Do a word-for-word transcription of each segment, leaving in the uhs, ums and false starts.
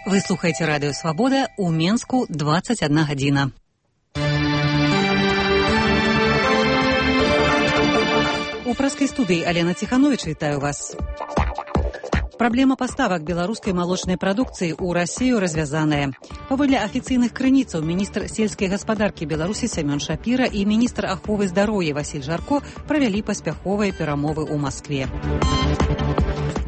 Вы слухаеце радыё «Свабода», у Менску двадцать одна гадзіна. У праскай студыі Алена Ціханович, вітаю вас. Праблема паставак беларускай малочнай прадукцыі ў Расію развязаная. Паводле афіцыйных крыніцаў, міністр сельскай гаспадаркі Беларусі Сямён Шапіра і міністр аховы здароўя Васіль Жарко правялі паспяховыя перамовы ў Маскве.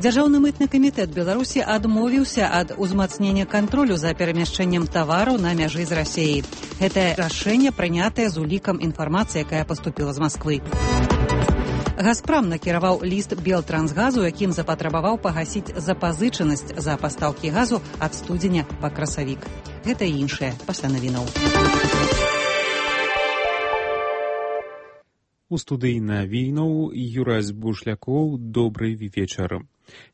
Дзяржаўны мытны камітэт Беларусі адмовіўся ад узмацнення кантролю за перамяшчэннем тавараў на мяжы з Расіяй. Гэтае рашэнне прынятае з улікам інфармацыі, якая паступіла з Масквы. «Газпрам» накіраваў ліст «Белтрансгазу», якім запатрабаваў пагасіць запазычанасць за пастаўкі газу ад студзеня па красавік. Гэта і іншае пасля навінаў. У студыі навінаў Юрась Бушлякоў. Добрый вечар.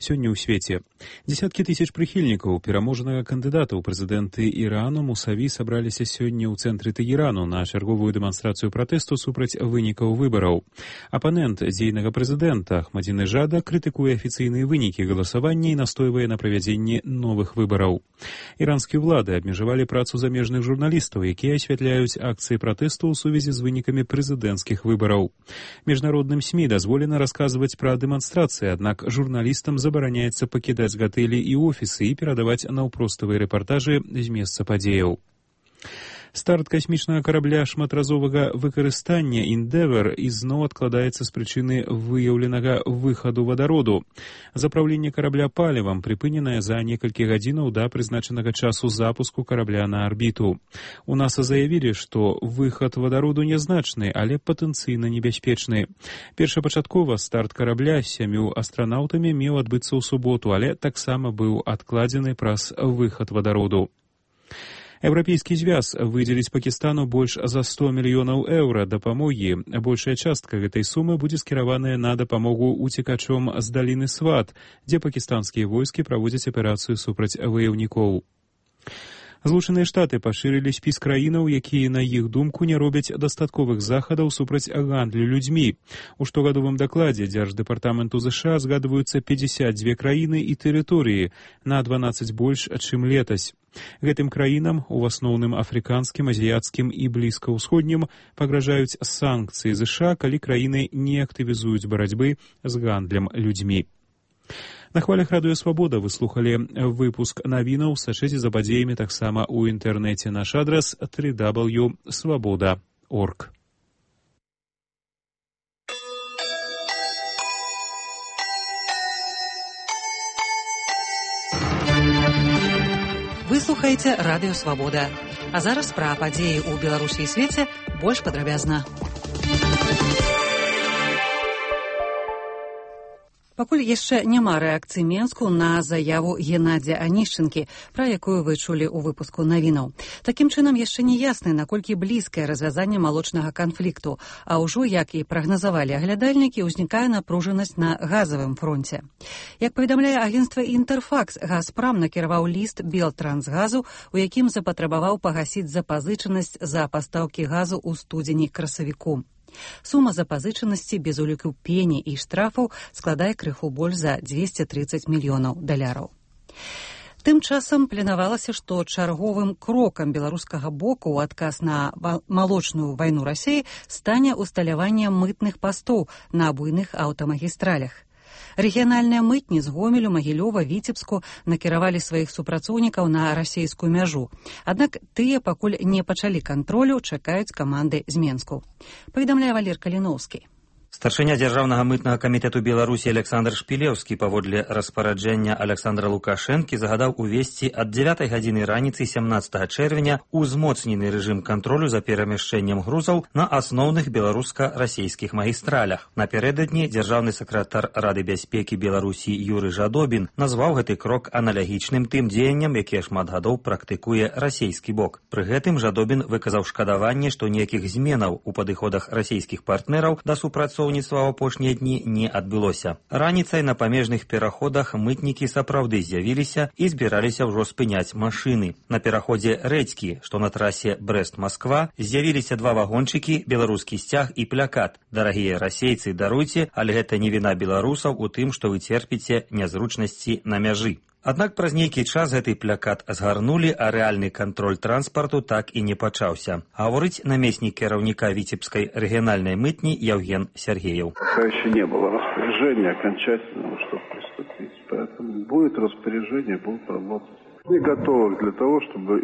Сёння ў свеце дзесяткі тысяч прыхільнікаў пераможнага кандыдата ў прэзідэнты Ірану Мусаві сабраліся сёння ў цэнтры Тэгерану на чарговую дэманстрацыю пратэсту супраць вынікаў выбараў. Апанент дзейнага прэзідэнта Ахмадзінеджада крытыкуе афіцыйныя вынікі галасавання і настойвае на правядзенні новых выбараў. Іранскія ўлады абмежавалі працу замежных журналістаў, якія асвятляюць акцыі пратэсту ў сувязі з вынікамі прэзідэнцкіх выбараў. Міжнародным СМІ дазволена расказваць пра дэманстрацыі, аднак журналістам забараняецца пакідаць гатэлі і офісы і перадаваць наўпроставыя рэпартажы з месца падзеяў. Старт касмічнага карабля шматразовага выкарыстання «Эндевар» ізноў адкладаецца з прычыны выяўленага выхаду вадароду. Запраўленне карабля палівам прыпыненае за некалькі гадзінаў да прызначанага часу запуску карабля на арбіту. У НАСА заявілі, што выхад вадароду нязначны, але патэнцыйна небяспечны. Першапачаткова старт карабля з сямю астранаўтамі меў адбыцца ў суботу, але таксама быў адкладзены праз выхад вадароду. Еўрапейскі звяз выдзеліць Пакістану больш за сто мільёнаў еўра дапамогі. Большая частка гэтай сумы будзе скіраваная на дапамогу уцекачом з даліны Сват, дзе пакістанскія войскі праводзяць аперацыю супраць ваяўнікоў. Злучаныя Штаты пашырылі спіс краінаў, якія, на іх думку, не робяць дастатковых захадаў супраць гандлю людзьмі. У штогадовым дакладзе Дзярждэпартаменту ЗША згадваюцца пятьдесят две краіны і тэрыторыі, на дванаццаць больш, чым летась. Гэтым краінам, у асноўным афрыканскім, азіяцкім і блізкаўсходнім, пагражаюць санкцыі ЗША, калі краіны не актывізуюць барацьбы з гандлем людзьмі. На хвалях радыё «Свабода» вы слухалі выпуск навінаў. Сачыце за падзеямі таксама ў інтэрнэце. Наш адрас три дабл ю крапка свабода крапка орг. Вы слухаеце радыё «Свабода». А зараз пра падзеі ў Беларусі і свеце больш падрабязна. Пакуль яшчэ няма рэакцыі Менску на заяву Геннадзя Анішчынкі, пра якую вы чулі ў выпуску навінаў. Такім чынам, яшчэ не ясна, наколькі блізкае развязанне малочнага канфлікту, а ўжо, як і прагназавалі аглядальнікі, узнікае напружанасць на газавым фронце. Як паведамляе агенцтва «Інтэрфакс», «Газпрам» накіраваў ліст «Белтрансгазу», у якім запатрабаваў пагасіць запазычанасць за пастаўкі газу ў студзені красавіку. Сума запазычанасці без уліку пені і штрафаў складае крыху больш за дзвесце трыццаць мільёнаў даляраў. Тым часам планавалася, што чарговым крокам беларускага боку ў адказ на малочную вайну Расіі стане усталяванне мытных пастоў на буйных аўтамагістралях. Рэгіянальныя мытні з Гомелю, Магілёва, Віцебску накіравалі сваіх супрацоўнікаў на расійскую мяжу. Аднак тыя пакуль не пачалі кантролю, чакаюць каманды з Менску. Паведамляе Валер Каліноўскі. Старшыня дзяржаўнага мытнага камітэту Беларусі Александр Шпілеўскі паводле распараджэння Александра Лукашэнкі загадаў увесці ад дзевятай гадзіны раніцы сямнаццатага чэрвеня узмоцнены рэжым кантролю за перамяшчэннем грузаў на асноўных беларуска-расійскіх магістралях. Напярэдадні дзяржаўны сакратар Рады бяспекі Беларусі Юры Жадобін назваў гэты крок аналагічным тым дзеянням, якія шмат гадоў практыкуе расійскі бок. Пры гэтым Жадобін выказаў шкадаванне, што ніякіх зменаў у падыходах расійскіх партнераў да супрацоўніцтва ў апошнія дні не адбылося. Раніцай на памежных пераходах мытнікі сапраўды з'явіліся і збіраліся ўжо спыняць машыны. На пераходзе Рэдзькі, што на трасе Брэст-Масква, з'явіліся два вагончыкі, беларускі сцяг і плякат. Дарагія расейцы, даруйце, але гэта не віна беларусаў у тым, што вы церпіце нязручнасці на мяжы. Аднак праз нейкі час гэты плакат згарнулі, а рэальны кантроль транспарту так і не пачаўся. Гаворыць намеснік кіраўніка Віцебскай рэгіянальнай мытні Евген Сергеев. Пока еще не было распоряжения окончательного, чтобы приступить. Поэтому будет распоряжение, будут работать. Мы готовы для того, чтобы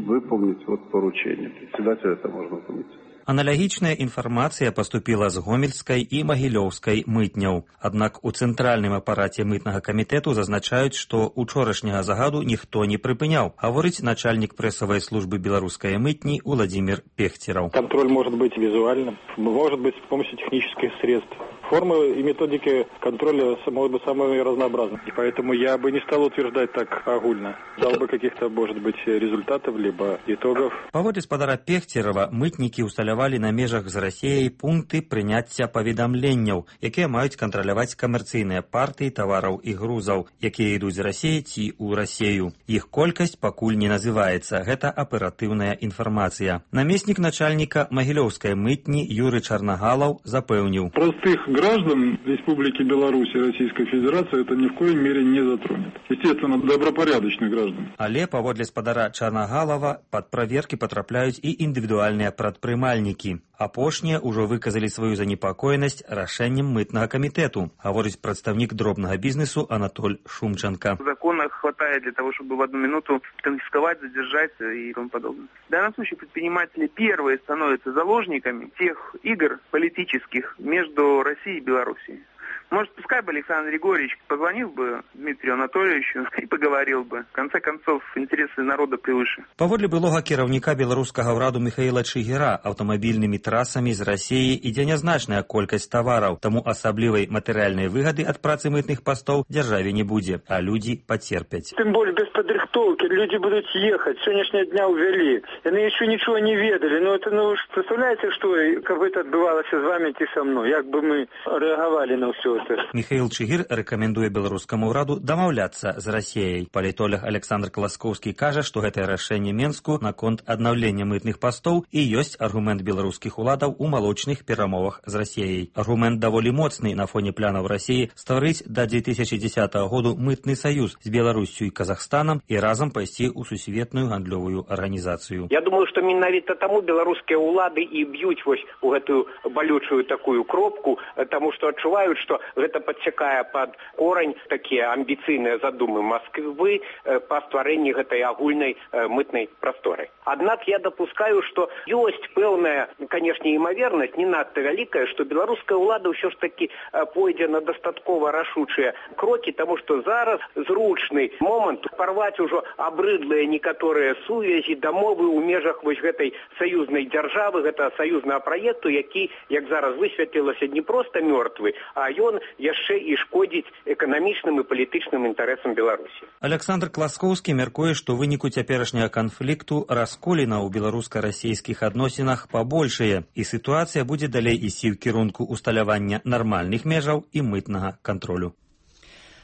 выполнить вот поручение. Председатель это можно выполнить. Аналагічная інфармацыя паступіла з гомельскай і магілёўскай мытняў. Аднак у цэнтральным апараце мытнага камітэту зазначаюць, што учорашняга загаду ніхто не прыпыняў, гаворыць начальнік прэсавай службы беларускай мытні Владимир Пехтеров. Контроль может быть визуальным, может быть с помощью технических средств. Формы и методики контроля могут быть самыми разнообразными. И поэтому я бы не стал утверждать так огульно. Дал бы каких-то, может быть, результатов, либо итогов. Паводле спадара Пехтерова, мытнікі ўсталявалі на межах з Расіяй пункты прыняцця паведамленняў, якія маюць кантраляваць камерцыйныя партыі тавараў і грузаў, якія ідуць з Расіі ці ў Расію. Іх колькасць пакуль не называецца. Гэта аператыўная інфармацыя. Намеснік начальніка магілёўскай мытні Юры Чарнагалаў запэўніў. Простых граждан Республики Беларусь и Российской Федерации это ни в коей мере не затронет. Естественно, добропорядочных граждан. Але паводле спадара Чарнагалава пад праверкі патрапляюць і індывідуальныя прадпрымальнікі. Апошнія ўжо выказалі сваю занепакоенасць рашэннем мытнага камітэту, гаворыць прадстаўнік дробнага бізнесу Анатоль Шумченко. Закона хватает для того, чтобы в одну минуту конфисковать, задержать и тому подобное. В данном случае предприниматели первые становятся заложниками тех игр политических между Россией и Белоруссией. Может, пускай бы Александр Григорьевич позвонил бы Дмитрию Анатольевичу и поговорил бы. В конце концов, интересы народа превыше. Паводле былога кіраўніка беларускага ўраду Михаила Чигира, аўтамабільнымі трасамі з Расіі ідзе нязначная колькасць тавараў, таму асаблівай матэрыяльнай выгады ад працы мытных пастоў дзяржаве не будзе, а людзі пацерпяць. Тем более без подрихтовки люди будут ехать. С сегодняшнего дня увели. Они еще ничего не ведали. Но это, ну, представляете, что как бы это отбывалось с вами и со мной? Как бы мы реагировали на все это? Михаил Чигир рэкамендуе беларускаму ўраду дамаўляцца з Расіяй. Палітолог Александр Класкоўскі кажа, што гэтае рашэнне Менску наконт аднаўлення мытных пастоў і ёсць аргумент беларускіх уладаў у малочных перамовах з Расіяй. Аргумент даволі моцны на фоне планаў Расіі стварыць да две тысячи десятого году мытны саюз з Беларуссю і Казахстанам і разам пайсці ў сусветную гандлёвую арганізацыю. Я думаю, што менавіта таму беларускія ўлады і б'юць вось у гэтую балючую такую кропку, таму што адчуваюць, што гэта падсякае пад корань такія амбіцыйныя задумы Масквы па стварэнні гэтай агульнай мытнай прасторы. Аднак я дапускаю, што ёсць пэўная, канешне, імавернасць, не надта вялікая, што беларуская ўлада ўсё ж такі пойдзе на дастаткова рашучыя крокі, таму што зараз зручны момант парваць ужо абрыдлыя некаторыя сувязі, дамовы ў межах вось гэтай саюзнай дзяржавы, гэта саюзнага праекту, які, як зараз высветлілася, не проста мёртвы, а ён яшчэ і шкодзіць эканамічным і палітычным інтарэсам Беларусі. Александр Класкоўскі мяркуе, што ў выніку цяперашняга канфлікту расколіна ў беларуска-расійскіх адносінах пабольшае, і сітуацыя будзе далей ісці ў кірунку усталявання нармальных межаў і мытнага кантролю.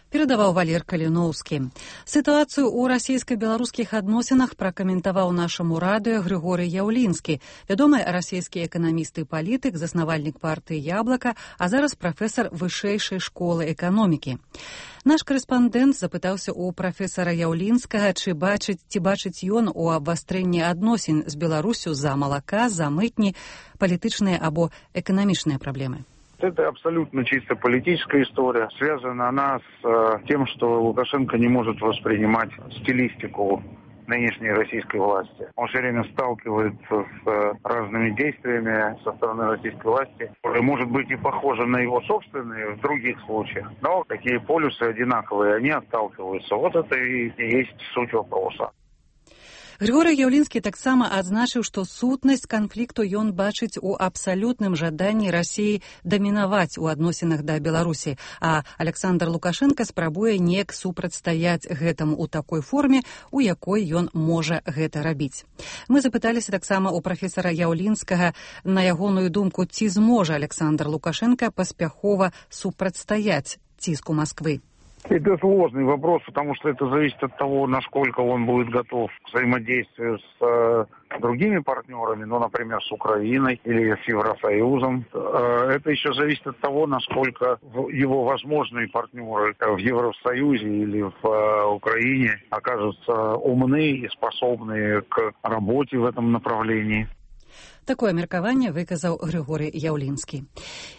Перадаваў Валер Каліноўскі. Сітуацыю ў расійска-беларускіх адносінах пракаментаваў нашаму радыё Григорый Яўлінскі, вядомы расійскі эканаміст і палітык, заснавальнік партыі «Яблака», а зараз прафесар вышэйшай школы эканомікі. Наш карэспандэнт запытаўся ў прафесара Яўлінскага, ці бачыць, ці бачыць ён у абвастрэнні адносін з Беларусю за малака, за мытні, палітычныя або эканамічныя праблемы. Это абсолютно чисто политическая история. Связана она с э, тем, что Лукашенко не может воспринимать стилистику нынешней российской власти. Он все время сталкивается с э, разными действиями со стороны российской власти, которые, может быть, и похожи на его собственные в других случаях. Но такие полюсы одинаковые, они отталкиваются. Вот это и есть суть вопроса. Григорый Яўлінскі таксама адзначыў, што сутнасць канфлікту ён бачыць у абсалютным жаданні Расіі дамінаваць у адносінах да Беларусі, а Александр Лукашенко спрабуе неяк супрацьстаяць гэтаму ў такой форме, у якой ён можа гэта рабіць. Мы запыталіся таксама ў прафесара Яўлінскага на ягоную думку, ці зможа Александр Лукашенко паспяхова супрацьстаяць ціску Масквы. Это сложный вопрос, потому что это зависит от того, насколько он будет готов к взаимодействию с э, другими партнерами, ну, например, с Украиной или с Евросоюзом. Э, это еще зависит от того, насколько его возможные партнеры в Евросоюзе или в э, Украине окажутся умны и способны к работе в этом направлении. Такое меркаванне выказаў Григорий Яўлінскі.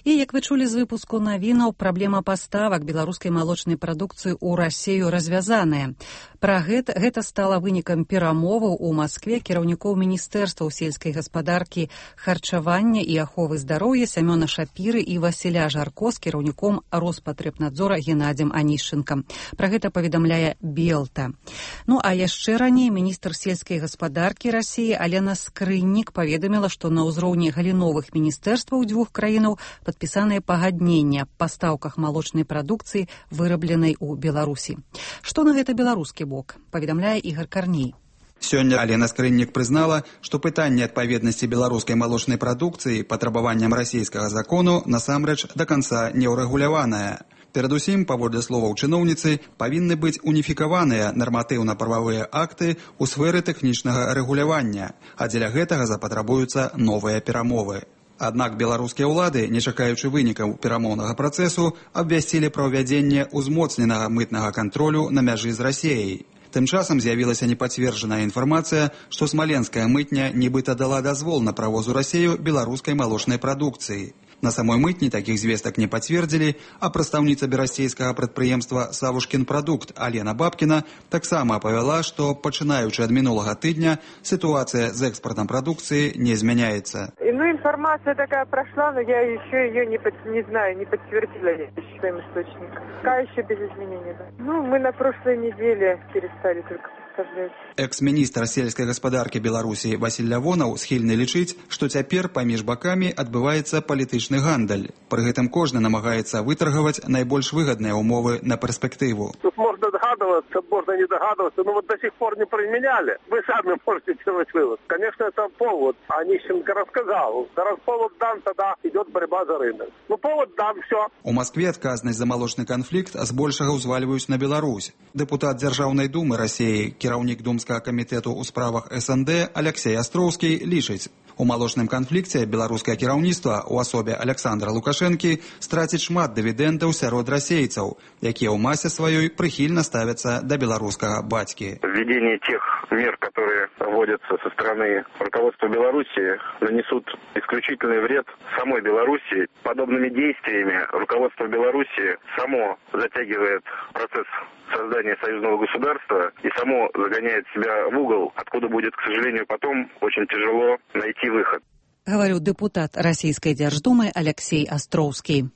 І, як вы чулі з выпуску навінаў, праблема паставак беларускай малочнай прадукцыі ў Расею развязаная. Пра гэта, гэта стала вынікам перамоваў у Маскве кіраўнікоў міністэрстваў сельскай гаспадаркі, харчавання і аховы здароўя Сямёна Шапіры і Васіля Жарко з кіраўніком Роспатребнадзора Геннадзем Анішчынкам. Пра гэта паведамляе Белта. Ну, а яшчэ раней міністр сельскай гаспадаркі Расеі Алена Скрыннік паведаміла, што на ўзроўні галіновых міністэрстваў дзвюх краінаў падпісаныя пагаднення аб пастаўках малочнай прадукцыі, вырабленай у Беларусі. Што на гэта беларускі бок, паведамляе Ігор Карней. Сёння Алена Скрыннік прызнала, што пытанне адпаведнасці беларускай малочнай прадукцыі патрабаванням расійскага закону насамрэч да канца не ўрэгуляванае. Перадусім, паводле словаў чыноўніцы, павінны быць уніфікаваныя нарматыўна-прававыя акты ў сферы тэхнічнага рэгулявання, а дзеля гэтага запатрабуюцца новыя перамовы. Аднак беларускія ўлады, не чакаючы вынікаў перамоўнага працэсу, абвясцілі пра ўвядзенне ўзмоцненага мытнага кантролю на мяжы з Расеяй. Тым часам з'явілася непацверджаная інфармацыя, што смаленская мытня нібыта дала дазвол на правоз у Расею беларускай малочнай прадукцыі. На самой мытні такіх звестак не пацвердзілі, а прадстаўніца берасцейскага прадпрыемства «Савушкін прадукт» Алена Бабкіна таксама апавяла, што, пачынаючы ад минулага тыдня, ситуация с экспортом продукции не изменяется. Ну, информация такая прошла, но я еще ее не, под, не знаю, не подтвердила своим источником. Пока еще без изменений. Да. Ну, мы на прошлой неделе перестали только поставлять. Экс-міністр сельскай гаспадаркі Беларусі Васіль Лявонаў схільны лічыць, што цяпер паміж бакамі адбываецца палітычны гандаль. Пры гэтым кожны намагаецца вытаргаваць найбольш выгадныя умовы на перспектыву. Тут можно догадываться, можно не догадываться, но вот до сих пор не применяли. Вы сами можете делать вывод. Конечно, это повод. Онищенко рассказал. Раз повод дан, тогда идет борьба за рынок. Ну, повод дан, все. У Москве адказнасць за малочны канфлікт збольшага ўзвальваюць на Беларусь. Дэпутат Дзяржаўнай думы Расіі, кіраўнік Думскага камітэту ў справах эс эн дэ Алексей Астроўскі лічыць, у малочным канфлікце беларускае кіраўніцтва ў асобе Александра Лукашэнкі страціць шмат дывідэндаў сярод расейцаў, якія ў масе сваёй прыхільна ставяцца да беларускага бацькі. Введение тех мер, которые вводятся со стороны руководства Беларуси, нанесут исключительный вред самой Беларуси. Подобными действиями руководство Беларуси само затягивает процесс создания союзного государства и само загоняет себя в угол, откуда будет, к сожалению, потом очень тяжело найти выход. Говорю депутат Российской Держдумы Алексей Астроўскі.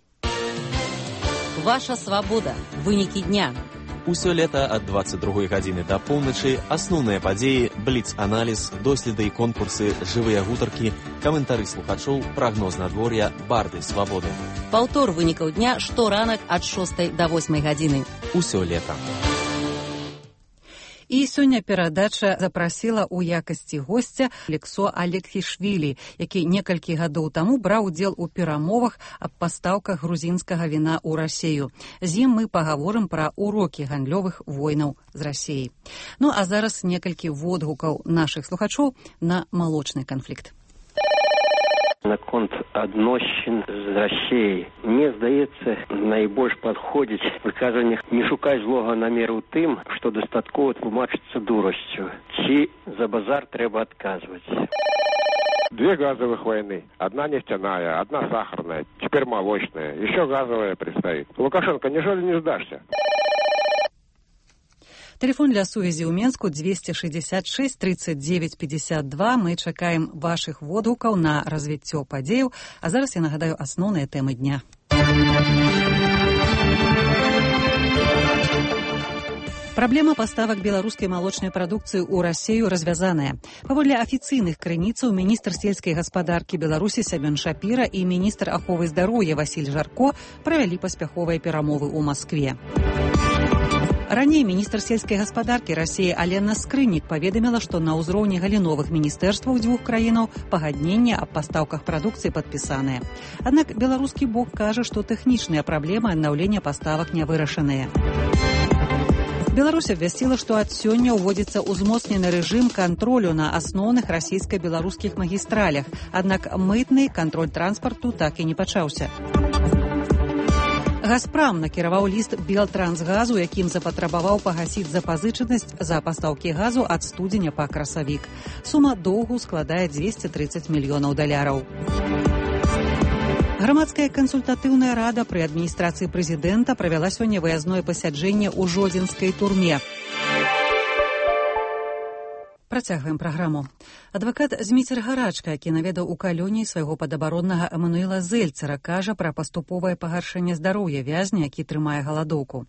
Ваша свабода. Вынікі дня. Усё лета ад дваццаць другой гадзіны да поўначы асноўныя падзеі, бліц-аналіз, доследы і конкурсы, жывыя гутаркі, каментары слухачоў, прагноз надвор'я, барды свабоды. Паўтор вынікаў дня шторанак ад шостай да восьмай гадзіны. Усё лета. І сёння перадача запрасіла ў якасці госця Алексо Алексішвілі, які некалькі гадоў таму браў удзел у перамовах аб пастаўках грузінскага віна ў Расею. З ім мы пагаворым пра урокі гандлёвых войнаў з Расеяй. Ну а зараз некалькі водгукаў нашых слухачоў на малочны канфлікт. Наконт адносін з Расіяй. Мне здаецца, найбольш падходзіць выказванне не шукаць злога намеру тым, што дастаткова тлумачыцца дурасцю. Ці за базар трэба адказваць. Две газовых войны. Одна нефтяная, одна сахарная, теперь молочная. Еще газовая предстоит. Лукашенко, неужели не сдашься? Телефон для сувязі ў Менску двести шестьдесят шесть тридцать девять пятьдесят два. Мы чакаем вашых водгукаў на развіццё падзеяў. А зараз я нагадаю асноўныя тэмы дня. Праблема паставак беларускай малочнай прадукцыі ў Расею развязаная. Паводле афіцыйных крыніцаў міністр сельскай гаспадаркі Беларусі Сямён Шапіра і міністр аховы здароўя Васіль Жарко правялі паспяховыя перамовы ў Маскве. Раней міністр сельскай гаспадаркі Расіі Алена Скрыннік паведаміла, што на ўзроўні галіновых міністэрстваў дзвюх краінаў пагадненне аб пастаўках прадукцыі падпісаныя. Аднак беларускі бок кажа, што тэхнічныя праблемы аднаўлення паставак не вырашаныя. Беларусь абвясціла, што ад сёння ўводзіцца ўзмоцнены рэжым кантролю на асноўных расійска-беларускіх магістралях, аднак мытны кантроль транспарту так і не пачаўся. «Газпрам» накіраваў ліст «Белтрансгазу», якім запатрабаваў пагасіць запазычанасць за пастаўкі газу ад студзеня па красавік. Сума доўгу складае дзвесце трыццаць мільёнаў даляраў. Грамадская кансультатыўная рада пры адміністрацыі прэзідэнта правяла сёння выязное пасяджэнне ў жодзінскай турме. Працягваем праграму. Адвакат Зміцер Гарачка, які наведаў у калоніі свайго падабароннага Эмануэла Зельцера, кажа пра паступовае пагаршэнне здароўя вязня, які трымае галадоўку.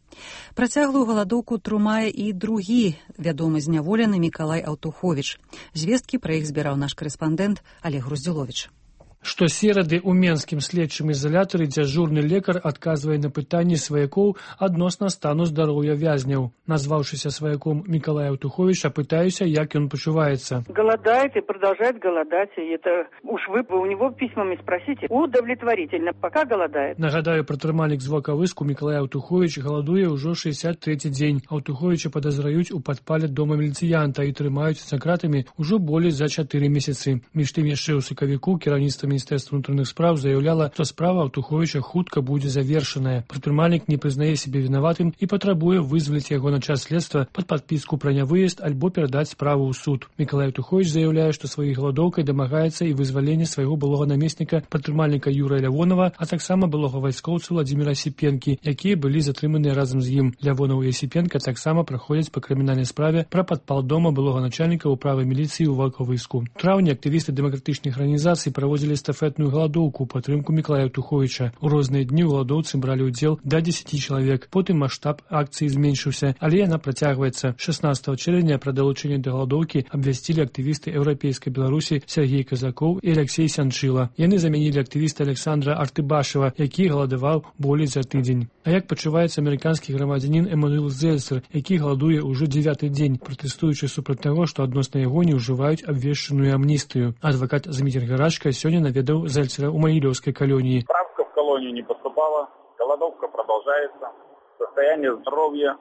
Працяглую галадоўку трымае і другі вядомы зняволены Мікалай Аўтуховіч. Звесткі пра іх збіраў наш карэспандэнт Олег Груздзіловіч. Штосерады ў менскім следчым ізалятары дзяжурны лекар адказвае на пытанні сваякоў адносна стану здароўя вязняў. Назваўшыся сваяком Мікалая Аўтуховича, пытаюся, як ён пачуваецца. Голодает и продолжает голодать. И это уж вы у него письмами спросите. Удовлетворительно, пока голодает. Нагадаю, пратрымальнік з Волковыску Мікалай Аўтухович галадуе ўжо шэсцьдзясят трэці дзень. Аўтуховича падазраюць у падпале дома міліцыянта і трымаюць за кратамі ўжо болей за чатыры месяцы. Між тым яшчэ ў сакавіку кіраўніцтва Міністэрства ўнутраных спраў заяўляла, што справа Аўтуховича хутка будзе завершаная. Прадпрымальнік не прызнае сябе вінаватым і патрабуе вызваліць яго на час следства пад падпіску пра нявыезд альбо перадаць справу ў суд. Мікалай Аўтухович заяўляе, што сваёй галадоўкай дамагаецца і вызвалення свайго былога намесніка прадпрымальніка Юрыя Лявонова, а таксама былога вайскоўца Владзіміра Сіпенкі, якія былі затрыманыя разам з ім. Лявонаў і Сіпенка таксама праходзяць па крымінальнай справе пра падпал дома былога начальніка ўправы міліцыі ў Волковыску. У траўні актывісты дэмакратычных арганізацый праводзілі эстафетную галадоўку ў падтрымку Мікалая Аўтуховича. У розныя дні ў галадоўцы бралі ўдзел да дзесяці чалавек. Потым маштаб акцыі зменшыўся, але яна працягваецца. шаснаццатага чэрвеня пра далучэнне да галадоўкі абвясцілі актывісты еўрапейскай Беларусі Сергей Казакоў і Алексей Сянчыла. Яны замянілі актывіста Александра Артыбашева, які галадаваў болей за тыдзень. А як пачуваецца амерыканскі грамадзянін Эмануэл Зельцер, які галадуе ўжо дзевяты дзень, пратэстуючы супраць таго, што адносна яго не ўжываюць абвешчаную амністыю. Адвакат Зміцер Гарачка сёння наведаў Зельцера ў Магілёўскай калоніі. Справка в колонию не поступала, голодовка продолжается, состояние здоровья,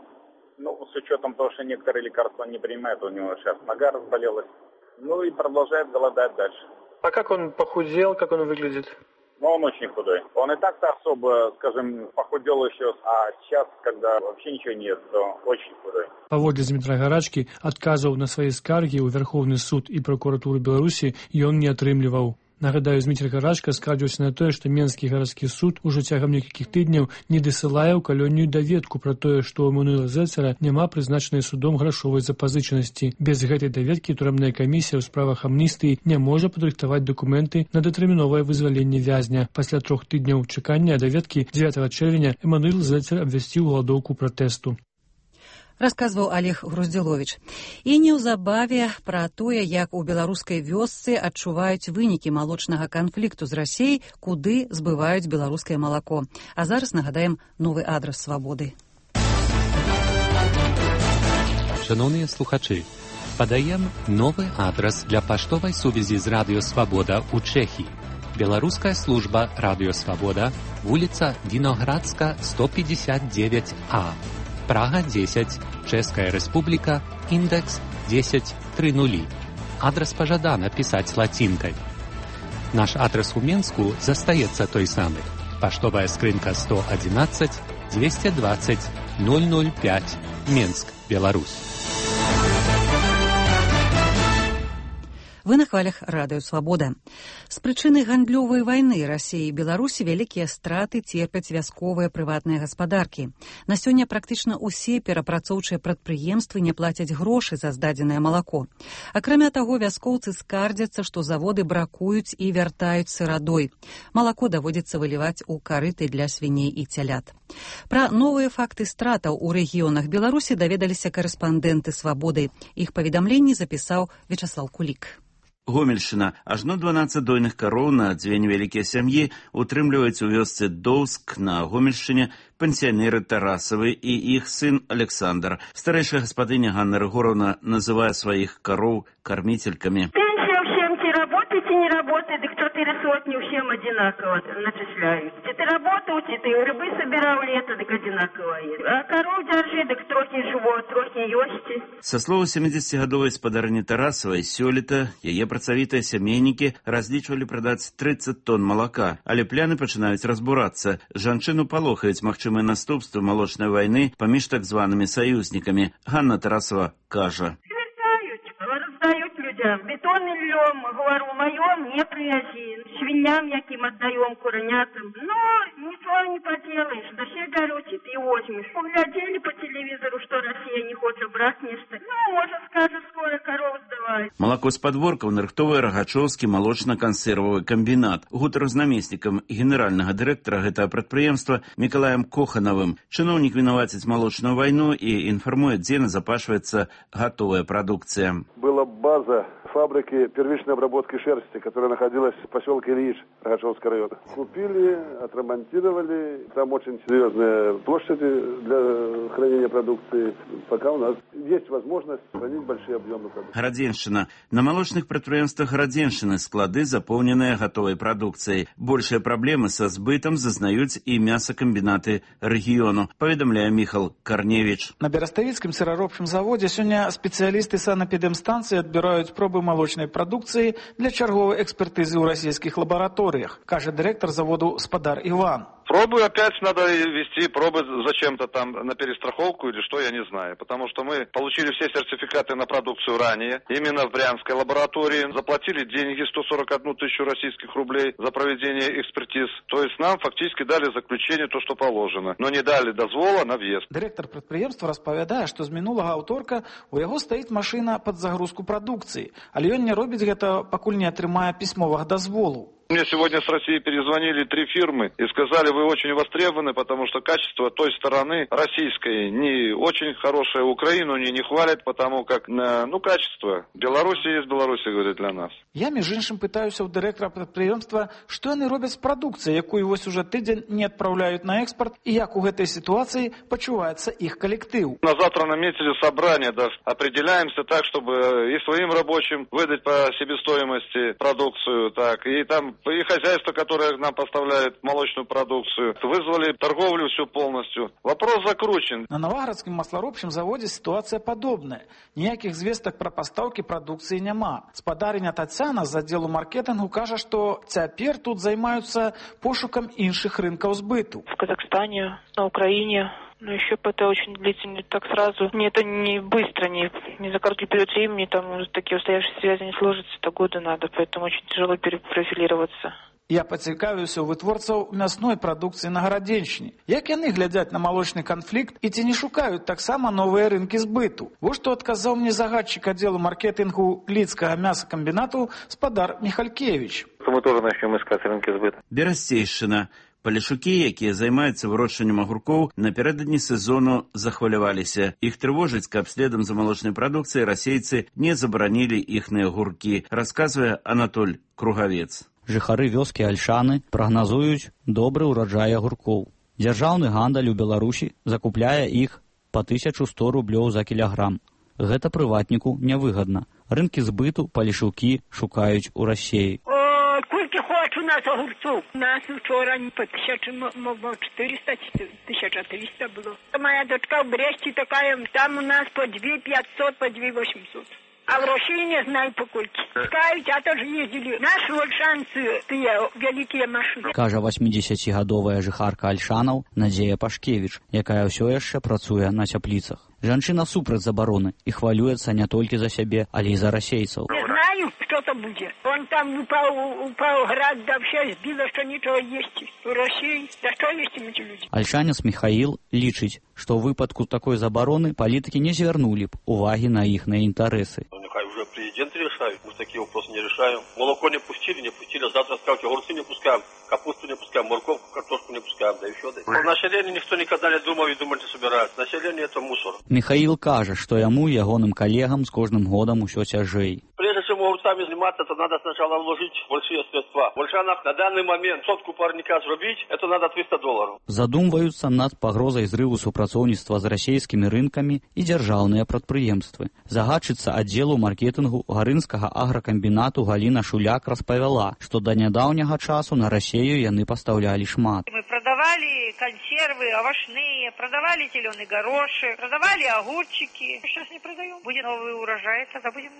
ну, с учетом того, что некоторые лекарства не принимает, у него сейчас нога разболелась, ну и продолжает голодать дальше. А как он похудел, как он выглядит? Ну, он очень худой. Он и так-то особо, скажем, похудел еще, а сейчас, когда вообще ничего нет, то очень худой. Паводле Змітра Гарачкі, адказаў на свае скаргі ў Верховны суд і прокуратуру Беларусі ён не атрымліваў. Нагадаю, Зміцер Гарачка скардзіўся на тое, што Менскі гарадскі суд ужо цягам некалькіх тыдняў не дасылае ў калонію даведку пра тое, што ў Эмануэла Зельцера няма прызначанай судом грашовай запазычанасці. Без гэтай даведкі турэмная камісія ў справах амністыі не можа падрыхтаваць дакументы на датэрміновае вызваленне вязня. Пасля трох тыдняў чакання даведкі дзевятага чэрвеня Эмануэл Зельцер абвясціў галадоўку пратэсту. Расказваў Олег Груздзіловіч. І неўзабаве пра тое, як у беларускай вёсцы адчуваюць вынікі малочнага канфлікту з Расіяй, куды збываюць беларускае малако. А зараз нагадаем новы адрас Свабоды. Шановныя слухачы, падаем новы адрас для паштовай сувязі з Радыё Свабода ў Чэхіі. Беларуская служба Радыё Свабода, вуліца Віноградска, сто пятьдесят девять А. Прага дзесяць, Чэшская Рэспубліка, індекс дзесяць тры нулі. Адрас пажадана пісаць лацінкай. Наш адрас у Менску застаецца той самы. Паштовая скрынка сто одиннадцать двести двадцать ноль ноль пять, Менск, Беларусь. Вы на хвалях Радыё Свабода. З прычыны гандлёвай вайны Расіі і Беларусі вялікія страты церпяць вясковыя прыватныя гаспадаркі. На сёння практычна ўсе перапрацоўчыя прадпрыемствы не плацяць грошы за здадзенае малако. Акрамя таго, вяскоўцы скардзяцца, што заводы бракуюць і вяртаюць сырадой. Малако даводзіцца выліваць у карыты для свіней і цялят. Пра новыя факты стратаў у рэгіёнах Беларусі даведаліся карэспандэнты Свабоды. Іх паведамленні запісаў Вячаслаў Кулік. Гомельшчына. Ажно дванаццаць дойных кароў на дзве невялікія сям'і утрымліваюць у вёсцы Доўск на Гомельшчыне пенсіянеры Тарасавы і іх сын Александр. Старэйшая гаспадыня Ганна Рыгоровна называе сваіх кароў кармительками. Работать и не работать, да четыре сотни всем одинаково начисляют. Ты работал, ты рыбы собирал лето, так одинаково. А коров держи, так трохи живот, трохи ёсти. Со слова сямидзесяцігадовай спадарні Тарасавай, сёлета яе працавітыя сямейнікі разлічвалі прадаць трыццаць тонн малака, але пляны пачынаюць разбурацца. Жанчыну палохаюць магчымыя наступствы малочнай вайны паміж так званымі саюзнікамі. Ганна Тарасава кажа. Раздают людям. Бетон и льем, говорю, моем не привези. Свиньям яким отдаем, куронятам. Но ничего не поделаешь. Да все горючие ты возьмешь. Поглядели по телевизору, что Россия не хочет брать нечто. Ну, может, скажет, скоро коров сдавать. Малако з падворкаў нарыхтовае Рагачоўскі малочна-кансервавы камбінат. Гутар з намеснікам генеральнага дырэктара гэтага прадпрыемства Мікалаем Коханавым. Чыноўнік вінаваціць малочную вайну і інфармуе, дзе назапашваецца гатовая прадукцыя. Была база фабрики первичной обработки шерсти, которая находилась в поселке Ильич Рогачевского района. Купили, отремонтировали. Там очень серьезные площади для хранения продукции. Пока у нас есть возможность хранить большие объемы продукции. Гарадзеншчына. На молочных прадпрыемствах Гарадзеншчыны склады заполненные готовой продукцией. Большие проблемы со сбытом зазнаюць и мясокомбинаты региону, поведомляя Михал Корневич. На Берестовицком сыроробчым заводе сегодня специалисты санэпідэмстанцыі отбирают пробы молочной продукции для черговой экспертизы в российских лабораториях, кажет директор заводу Спадар Иван. Пробы опять надо вести, пробы зачем-то там на перестраховку или что, я не знаю. Потому что мы получили все сертификаты на продукцию ранее, именно в Брянской лаборатории. Заплатили деньги сто сорок одну тысячу российских рублей за проведение экспертиз. То есть нам фактически дали заключение то, что положено. Но не дали дозвола на въезд. Директор предприемства распавядае, что з мінулага аўторка у яго стаіць машина под загрузку продукции. Але ён не робіць гэта, пакуль не атрымае пісьмовых дазволу. Мне сегодня с России перезвонили три фирмы и сказали, вы очень востребованы, потому что качество той стороны российской не очень хорошее. Украину не, не хвалят, потому как, ну, качество. Беларусь есть Беларусь, говорит, для нас. Я, між іншым, пытаюся у директора предприемства, что яны робяць з прадукцыяй, якую вось уже тыдзень не отправляют на экспорт, и як у гэтай ситуации почувается их коллектив. На завтра наметили собрание, да, определяемся так, чтобы и своим рабочим выдать по себестоимости продукцию, так, и там и хозяйство, которое нам поставляет молочную продукцию, вызвали торговлю всю полностью. Вопрос закручен. На Новоградском маслоробчым заводе ситуация подобная. Ніяких звесток про поставки продукции няма. Спадарыня Татьяна з отделу маркетингу кажа, что цяпер тут займаются пошуком іншых рынков сбыту. В Казахстане, на Украине. Но еще это очень длительно, так сразу. Мне это не быстро, не, не за короткий период времени, там такие устоявшиеся связи не сложатся, это годы надо, поэтому очень тяжело перепрофилироваться. Я пацікавіўся у вытворцаў мясной прадукцыі на Гарадзеншчыне. Як яны глядзяць на малочны канфлікт і ці не шукаюць таксама новыя рынкі збыту? Вот што адказаў мне загадчик аддзелу маркетингу Лідскага мясакамбінату Спадар Михалькевич. Мы тоже начнем искать рынки сбыта. Берасцейшчына. Палешукі, якія займаюцца вырошчваннем агуркоў, напярэдадні сезону захваляваліся. Іх трывожыць, каб следам за малочнай прадукцыяй расейцы не забаранілі іхныя агуркі, расказвае Анатоль Кругавец. Жыхары вёскі Альшаны прагназуюць добры ўраджай агуркоў. Дзяржаўны гандаль у Беларусі закупляе іх па тысячу сто рублёў за кілаграм. Гэта прыватніку нявыгадна. Рынкі збыту палешукі шукаюць у Расіі. У нас огурцов. У нас вчора по тысяче, четыреста, тысяча триста было. Моя дочка в Бресте такая, там у нас по две пятьсот, по две восемьсот. А в России не знаю по кольки. Скажут, а тоже ездили. Наши ольшанцы, тыя великие машины. Кажа восьмідзесяцігадовая жыхарка Альшанаў Надзея Пашкевіч, якая ўсё яшчэ працуе на цяпліцах. Жанчына супраць забароны і хвалюецца не толькі за сябе, але і за расейцаў. Не знаю, что-то будет. Он там упал, упал град, да все сбило, что ничего есть. В России, да что есть им эти люди? Альшанец Михаил лічыць, што ў выпадку такой забароны палітыкі не звярнулі б увагі на іхныя інтарэсы. Ну, нехай уже президенты решают, мы такие вопросы не решаем. Молоко не пустили, не пустили, завтра скажут, огурцы не пускаем, капусту не пускаем, морковку, картошку не пускаем, да еще да. Население никто никогда не думал и думать не собирается. Население это мусор. Михаил кажа, што яму і ягоным калегам з кожным годам усё цяжэй. Прежде всего, огурцами заниматься, это надо сначала вложить большие средства. В Ольшанах на данный момент сотку парника зробить, это надо триста долларов. Задумваюцца над пагрозай зрыву супрацоўніцтва з расійскімі рынкамі і дзяржаўныя прадпрыемствы. Загадчыца аддзелу маркетынгу гарынскага агракамбінату Галіна Шуляк распавяла, што да нядаўняга часу на Расею яны пастаўлялі шмат. Мы продавали консервы овощные, продавали зеленый горошек, продавали огурчики. Сейчас не продаем. Будет новый урожай, тогда будем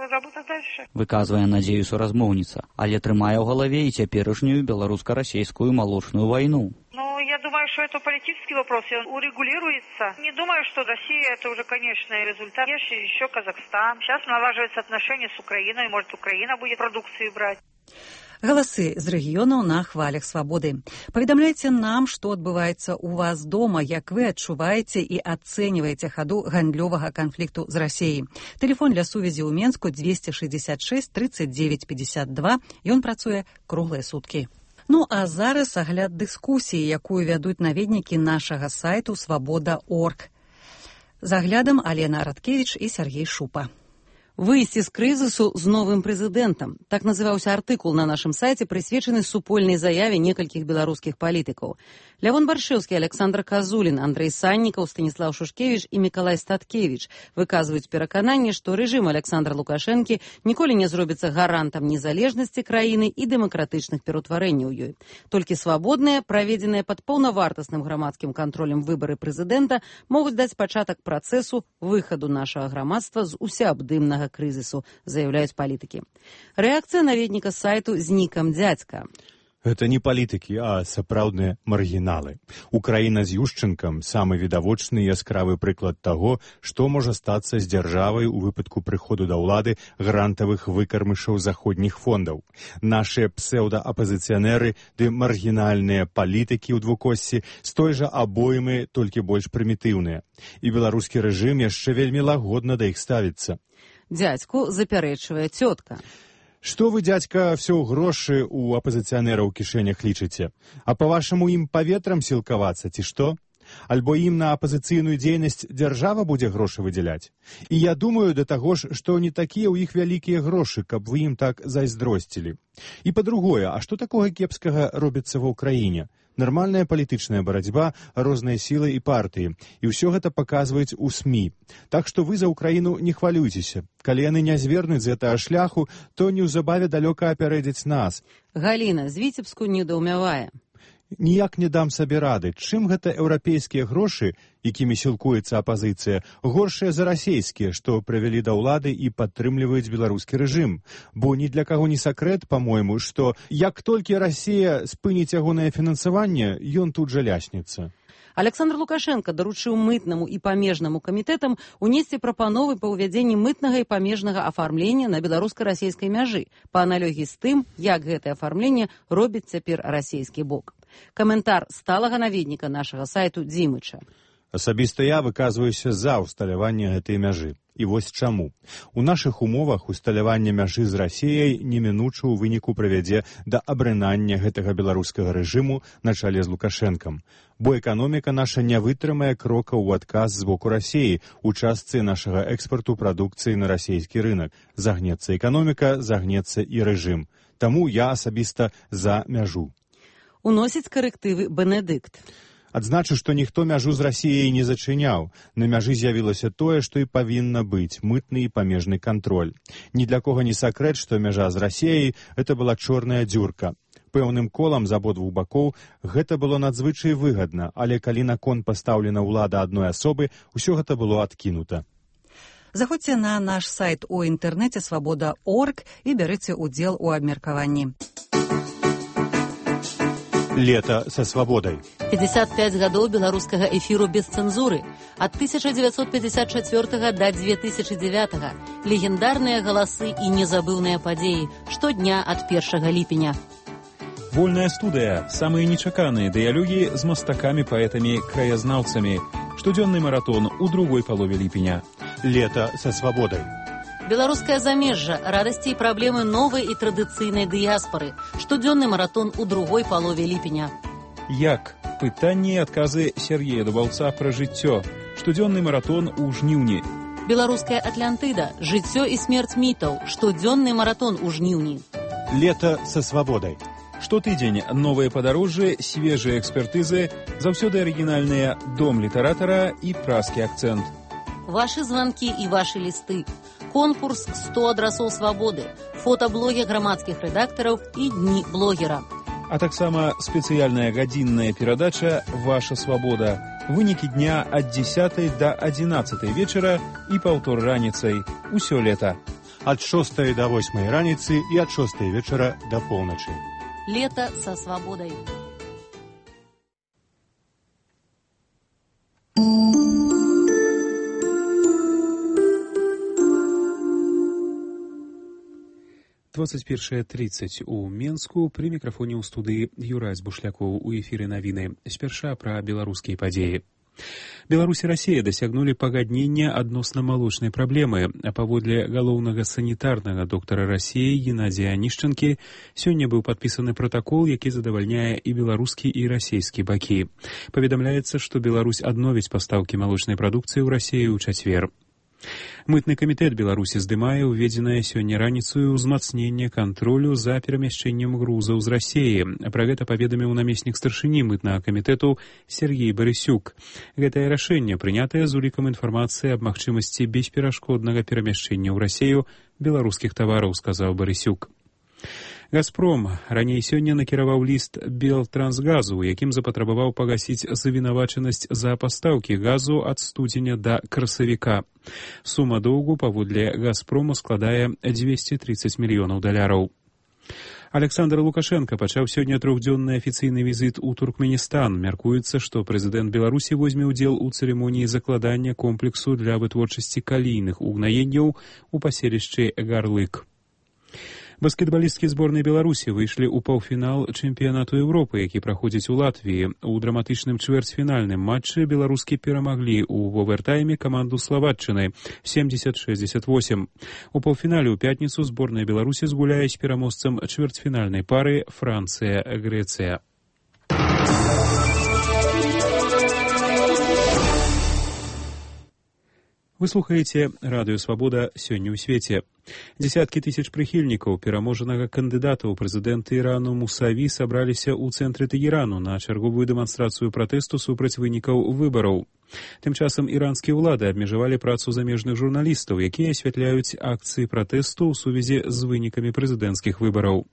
работать дальше. Выказвае надзею суразмоўніца, але трымае ў галаве і цяперашнюю беларуска-расейскую малочную вайну. Ну, я думаю, что это политический вопрос, и он урегулируется. Не думаю, что Россия это уже конечный результат. Есть еще Казахстан. Сейчас налаживаются отношения с Украиной, может, Украина будет продукцию брать. Галасы з рэгіёнаў на хвалях свабоды. Паведамляйце нам, што адбываецца ў вас дома, як вы адчуваеце і ацэньваеце хаду гандлёвага канфлікту з Расеяй. Тэлефон для сувязі ў Менску двести шестьдесят шесть тридцать девять пятьдесят два. Ён працуе круглыя суткі. Ну а зараз агляд дыскусіі, якую вядуць наведнікі нашага сайту свабода точка орг. З аглядам Алена Радкевіч і Сергей Шупа. Выйсці з крызісу з новым прэзідэнтам. Так называўся артыкул на нашым сайце, прысвечаны супольнай заяве некалькіх беларускіх палітыкаў. Лявон Баршэўскі, Александр Казулін, Андрэй Саннікаў, Станіслаў Шушкевіч і Мікалай Статкевіч выказваюць перакананне, што рэжым Александра Лукашэнкі ніколі не зробіцца гарантам незалежнасці краіны і дэмакратычных пераўтварэнняў ёй. Толькі свабодныя, праведзеныя пад паўнавартасным грамадскім кантролем выбары прэзідэнта могуць даць пачатак працэсу выхаду нашага грамадства з усеабдымнага крызісу, заяўляюць палітыкі. Рэакцыя наведніка сайту з нікам «Дзядзька». Гэта не палітыкі, а сапраўдныя маргіналы. Украіна з Юшчэнкам – самы відавочны і яскравы прыклад таго, што можа стацца з дзяржавай у выпадку прыходу да ўлады грантавых выкармышаў заходніх фондаў. Нашыя псеўдаапазіцыянеры ды маргінальныя палітыкі ў двукоссі з той жа абоймы, толькі больш прымітыўныя. І беларускі рэжым яшчэ вельмі лагодна да іх ставіцца. Дзядзьку запярэчвае цётка. Што вы, дзядзька, все ў грошы ў апазіцыянера ў кішэнях лічыце? А па-вашаму ім паветрам сілкавацца, ці што? Альбо ім на апазіцыйную дзейнасць дзяржава будзе грошы выдзяляць? І я думаю да таго ж, што не такія ў іх вялікія грошы, каб вы ім так зайздросцілі. І па-другое, а што такога кепскага робіцца ва ўкраіне? Нармальная палітычная барацьба, розныя сілы і партыі. І ўсё гэта паказваюць у СМІ. Так што вы за Украіну не хвалюйцеся. Калі яны не звернуць з гэтага шляху, то неўзабаве далёка апярэдзяць нас. Галіна з Віцебску недаўмявае. Ніяк не дам сабе рады, чым гэта еўрапейскія грошы, якімі сілкуецца апазіцыя, горшыя за расейскія, што прывялі да ўлады і падтрымліваюць беларускі рэжым. Бо ні для каго не сакрэт, па-мойму, што як толькі Расія спыніць ягонае фінансаванне, ён тут жа ляснецца. Александр Лукашенко даручыў мытнаму і памежнаму камітэтам унесці прапановы па ўвядзенні мытнага і памежнага афармлення на беларуска-расейскай мяжы, па аналогіі з тым, як гэтае афармленне робіць цяпер расейскі бок. Каментар сталага наведніка нашага сайту Дзімыча. Асабіста я выказваюся за ўсталяванне гэтай мяжы. І вось чаму. У нашых умовах усталяванне мяжы з Расіяй немінуча ў выніку прывядзе да абрынання гэтага беларускага рэжыму на чале з Лукашэнкам. Бо эканоміка наша не вытрымае крока ў адказ з боку Расіі у частцы нашага экспарту прадукцыі на расійскі рынак. Загнецца эканоміка, загнецца і рэжым. Таму я асабіста за мяжу. Уносіць карэктывы Бенедыкт. Адзначу, што ніхто мяжу з Расіяй не зачыняў. На мяжы з'явілася тое, што і павінна быць – мытны і памежны кантроль. Ні для кога не сакрэт, што мяжа з Расіяй – гэта была чорная дзюрка. Пэўным колам з абодвух бакоў гэта было надзвычай выгадна, але калі на кон пастаўлена ўлада адной асобы, усё гэта было адкінута. Заходзьце на наш сайт у інтэрнэце свабода точка орг і бярыце ўдзел у абмеркаванні. Лето со свободой. пятьдесят пять гадоў беларускага эфіру без цэнзуры. Ад тысяча девятьсот пятьдесят четвёртага да две тысячи девятага. Легендарныя галасы і незабыўныя падзеі. Штодня ад першага ліпеня. Вольная студыя. Самыя нечаканыя дыялогі з мастакамі, паэтамі, краязнаўцамі. Штодзённы маратон у другой палове ліпеня. Лето со свободой. Беларускае замежжа, радасці і праблемы новай і традыцыйнай дыяспары. Штодзённы маратон у другой палове ліпеня. Як? Пытанні і адказы Сергея Дубаўца пра жыццё. Штодзённы маратон у жніўні. Беларуская Атлантыда, жыццё і смерць мітаў, штодзённы маратон у жніўні. Лето со свободой. Штотыдзень новыя падарожжы, свежыя экспертызы, заўсёды арыгінальныя дом літаратара і празкі акцэнт. Вашы званкі і вашы лісты. Конкурс сто адрасоў свабоды, фотаблогі грамадскіх рэдактараў і дні блогера. А таксама спецыяльная гадзінная перадача «Ваша свабода». Вынікі дня ад дзесятай да адзінаццатай вечара і паўтор раніцай. Усё лета. Ад шостай да восьмай раніцы і ад шостай вечара да поўначы. Лето со свободой. двадцать первое тридцать у Менску. При микрофоне у студии Юрась Бушляков. У эфире навіны. Спярша пра беларускія падзеі. Беларусь і Расія дасягнулі пагаднення адносна малочнай праблемы, а паводле галоўнага санітарнага доктара Расіі Геннадзія Анішчанкі сёння быў падпісаны пратакол, які задавальняе і беларускі, і расійскі бакі. Паведамляецца, што Беларусь адновіць пастаўкі малочнай прадукцыі ў Расіі ў чацвер. Мытны камітэт Беларусі здымае ўведзенае сёння раніцаю ўзмацненне кантролю за перамяшчэннем грузаў з Расіі. Пра гэта паведаміў намеснік старшыні мытнага камітэту Сергей Барысюк. Гэтае рашэнне прынятае з улікам інфармацыі аб магчымасці бесперашкоднага перамяшчэння ў Расію беларускіх тавараў, сказаў Барысюк. «Газпром» раней сёння накіраваў ліст Белтрансгазу, якім запатрабаваў пагасіць завінавачанасць за пастаўкі газу ад студзеня да красавіка. Сума доўгу паводле «Газпрома» складае дзвесце трыццаць мільёнаў даляраў. Александр Лукашенко пачаў сёння трохдзённы афіцыйны візіт у Туркменістан. Мяркуецца, што прэзідэнт Беларусі возьме ўдзел у цырымоніі закладання комплексу для вытворчасці калійных угнаенняў у паселішчы Гарлык. Баскетбалісткі зборнай Беларусі выйшлі ў паўфінал чэмпіянату Еўропы, які праходзіць у Латвіі. У драматычным чвэрцьфінальным матчы беларускі перамаглі ў овертайме каманду Славатчыны семьдесят шестьдесят восемь. У паўфінале ў пятніцу зборная Беларусі згуляе з пераможцам чвэрцьфінальнай пары Францыя-Грэцыя. Вы слухаеце радыё «Свабода» сёння ў свеце. Дзесяткі тысяч прыхільнікаў пераможанага кандыдата ў прэзідэнты Ірану Мусаві сабраліся ў цэнтры Тэгерану на чарговую дэманстрацыю пратэсту супраць вынікаў выбараў. Тым часам іранскія ўлады абмежавалі працу замежных журналістаў, якія асвятляюць акцыі пратэсту ў сувязі з вынікамі прэзідэнцкіх выбараў.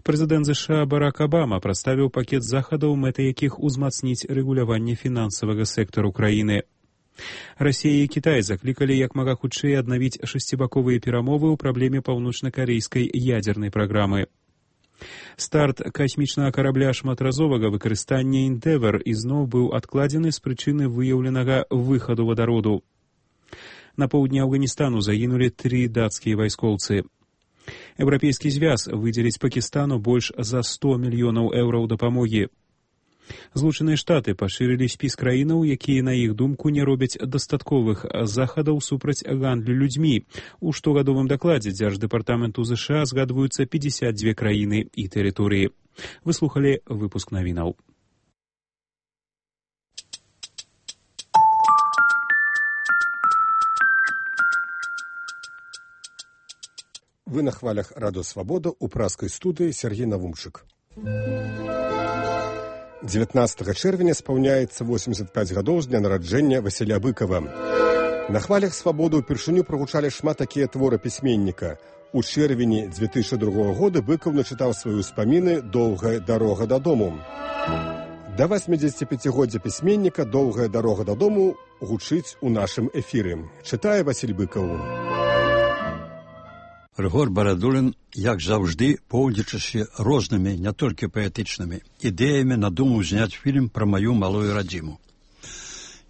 Прэзідэнт ЗША Барак Абама прадставіў пакет захадаў, мэтай якіх узмацніць рэгуляванне фінансавага сектару краіны. Расія і Кітай заклікалі як мага хутчэй аднавіць шасцібаковыя перамовы ў праблеме паўночна-карэйскай ядзернай праграмы. Старт касмічнага карабля шматразовага выкарыстання «Эндевар» ізноў быў адкладзены з прычыны выяўленага выхаду вадароду. На поўдні Афганістану загінулі тры дацкія вайскоўцы. Еўрапейскі звяз выдзеліць Пакістану больш за сто мільёнаў еўраў дапамогі. Злучаныя Штаты пашырылі спіс краінаў, якія, на іх думку, не робяць дастатковых захадаў супраць гандлю людзьмі. У штогадовым дакладзе Дзярждэпартаменту ЗША згадваюцца пятьдесят две краіны і тэрыторыі. Вы слухалі выпуск навінаў. Вы на хвалях радыё «Свабода» у празкай студыі Сергей Навумчык. дзевятнаццатага чэрвеня спаўняецца восемьдесят пять гадоў з дня нараджэння Васіля Быкава. На хвалях «Свабоды» ўпершыню прагучалі шмат такія творы пісьменніка. У чэрвені две тысячи другога года Быкаў начытаў свае ўспаміны «Доўгая дарога дадому». Да восьмидзесятипяцігоддзя пісьменніка «Доўгая дарога дадому» гучыць у нашым эфіры. Чытае Васіль Быкаў. Рыгор Барадулін, як заўжды, поўдзячыся рознымі, не толькі паэтычнымі, ідэямі надумаў зняць фільм пра маю малую радзіму.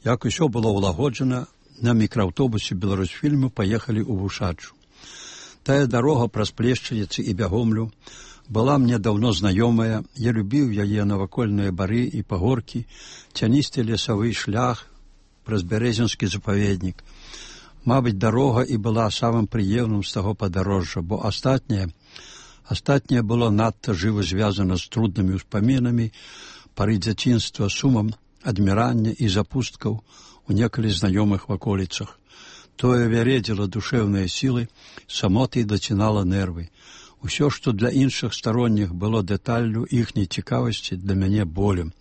Як усё было ўлагоджана, на мікрааўтобусе Беларусьфільму паехалі ў Вушачу. Тая дарога праз Плешчаніцы і Бягомлю была мне даўно знаёмая, я любіў яе навакольныя бары і пагоркі, цяністы лесавы шлях праз бярэзінскі запаведнік. Мабыць, дарога і была самым прыемным з таго падарожжа, бо астатняе, астатняе было надта жыва звязана з труднымі ўспамінамі, пары дзяцінства, сумам, адмірання і запусткаў у некалі знаёмых ваколіцах. Тое вяредзіла душэўныя сілы, самотай дацінала нервы. Усё, што для іншых старонніх было дэталлю іхняй цікавасці, для мяне болем.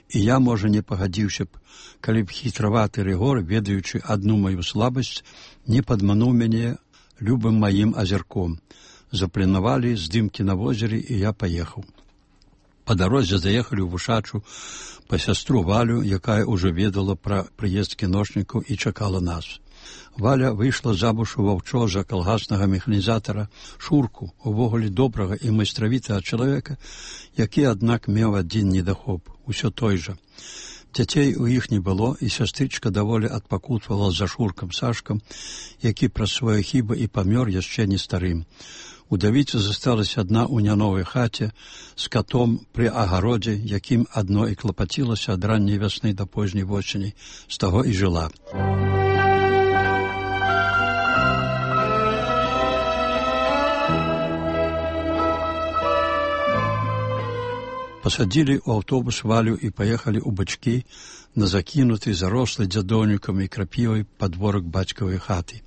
І я, можа, не пагадзіўся б, калі б хітраваты Рыгор, ведаючы адну маю слабасць, не падмануў мяне любым маім азірком. Запланавалі здымкі на возеры, і я паехаў. Па дарозе заехалі ў Вушачу па сястру Валю, якая ўжо ведала пра прыезд кіношнікаў і чакала нас. Валя выйшла замуж у ваўчо за калгаснага механізатара Шурку, увогуле добрага і майстравітага чалавека, які, аднак, меў адзін недахоп, усё той жа. Дзяцей у іх не было, і сястрычка даволі адпакутвала за Шуркам Сашкам, які праз свае хібы і памёр яшчэ не старым. Удавіца засталася адна ў няновай хаце з катом пры агародзе, якім адно і клапацілася ад ранняй вясны да позняй восені, з таго і жыла. Пасадзілі ў аўтобус Валю і паехалі ў бачкі на закінуты, зарослы дзядоўнікам і крапівай падворак бацькавай хаты.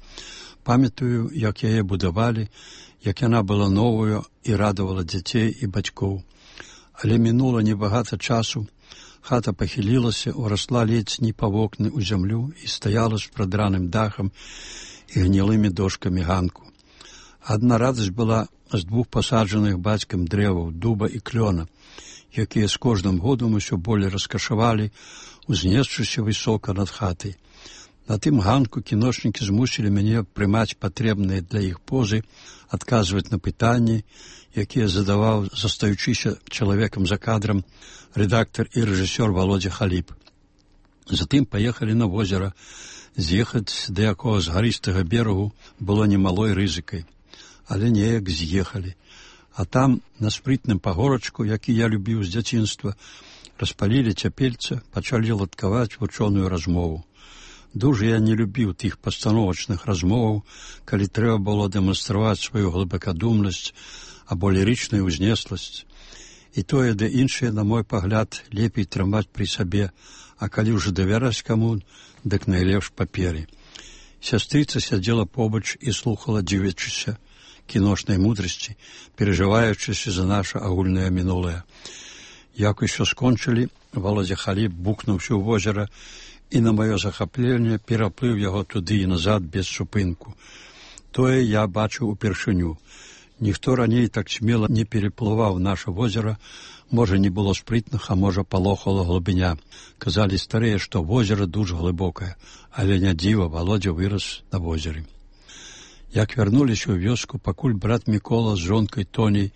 Памятаю, як яе будавалі, як яна была новую і радавала дзяцей і бацькоў. Але мінула небагата часу, хата пахілілася, урасла ледзь не па вокны ў зямлю і стаяла з прадраным дахам і гнілымі дошкамі ганку. Адна радасць была з двух пасаджаных бацькам дрэваў, дуба і клёна, якія з кожным годам усё болей раскашавалі, узнесшыся высока над хатай. На тым ганку кіношнікі змусілі мяне прымаць патрэбныя для іх позы, адказваць на пытанні, якія задаваў, застаючыся чалавекам за кадрам, рэдактар і рэжысёр Володя Халіп. Затым паехалі на возера. З'ехаць да якога з гарыстага берагу было немалой рызыкай, але неяк з'ехалі. А там, на спрытным пагорачку, які я любіў з дзяцінства, распалілі цяпельца, пачалі ладкаваць вучоную размову. Дужа я не любіў тых пастановачных размоваў, калі трэба было дэманстраваць сваю глыбакадумнасць або лірычную ўзнесласць. І тое, да іншае, на мой пагляд, лепей трымаць пры сабе, а калі ўжо давяраць каму, дык найлепш паперы. Сястрыца сядзела побач і слухала, дзівячыся кіношнай мудрасці, перажываючыся за наша агульнае мінулае. Як усё скончылі, Володя Халіп букнуўся ў возера, і на маё захапленне пераплыў яго туды і назад без супынку. Тое я бачыў упершыню. Ніхто раней так смела не переплываў наша возера, можа, не было спрытных, а можа, палохала глыбіня. Казалі старыя, што возера дужа глыбокае, але не дзіва, Володя вырас на возеры. Як вярнуліся ў вёску, пакуль брат Мікола з жонкай Тоняй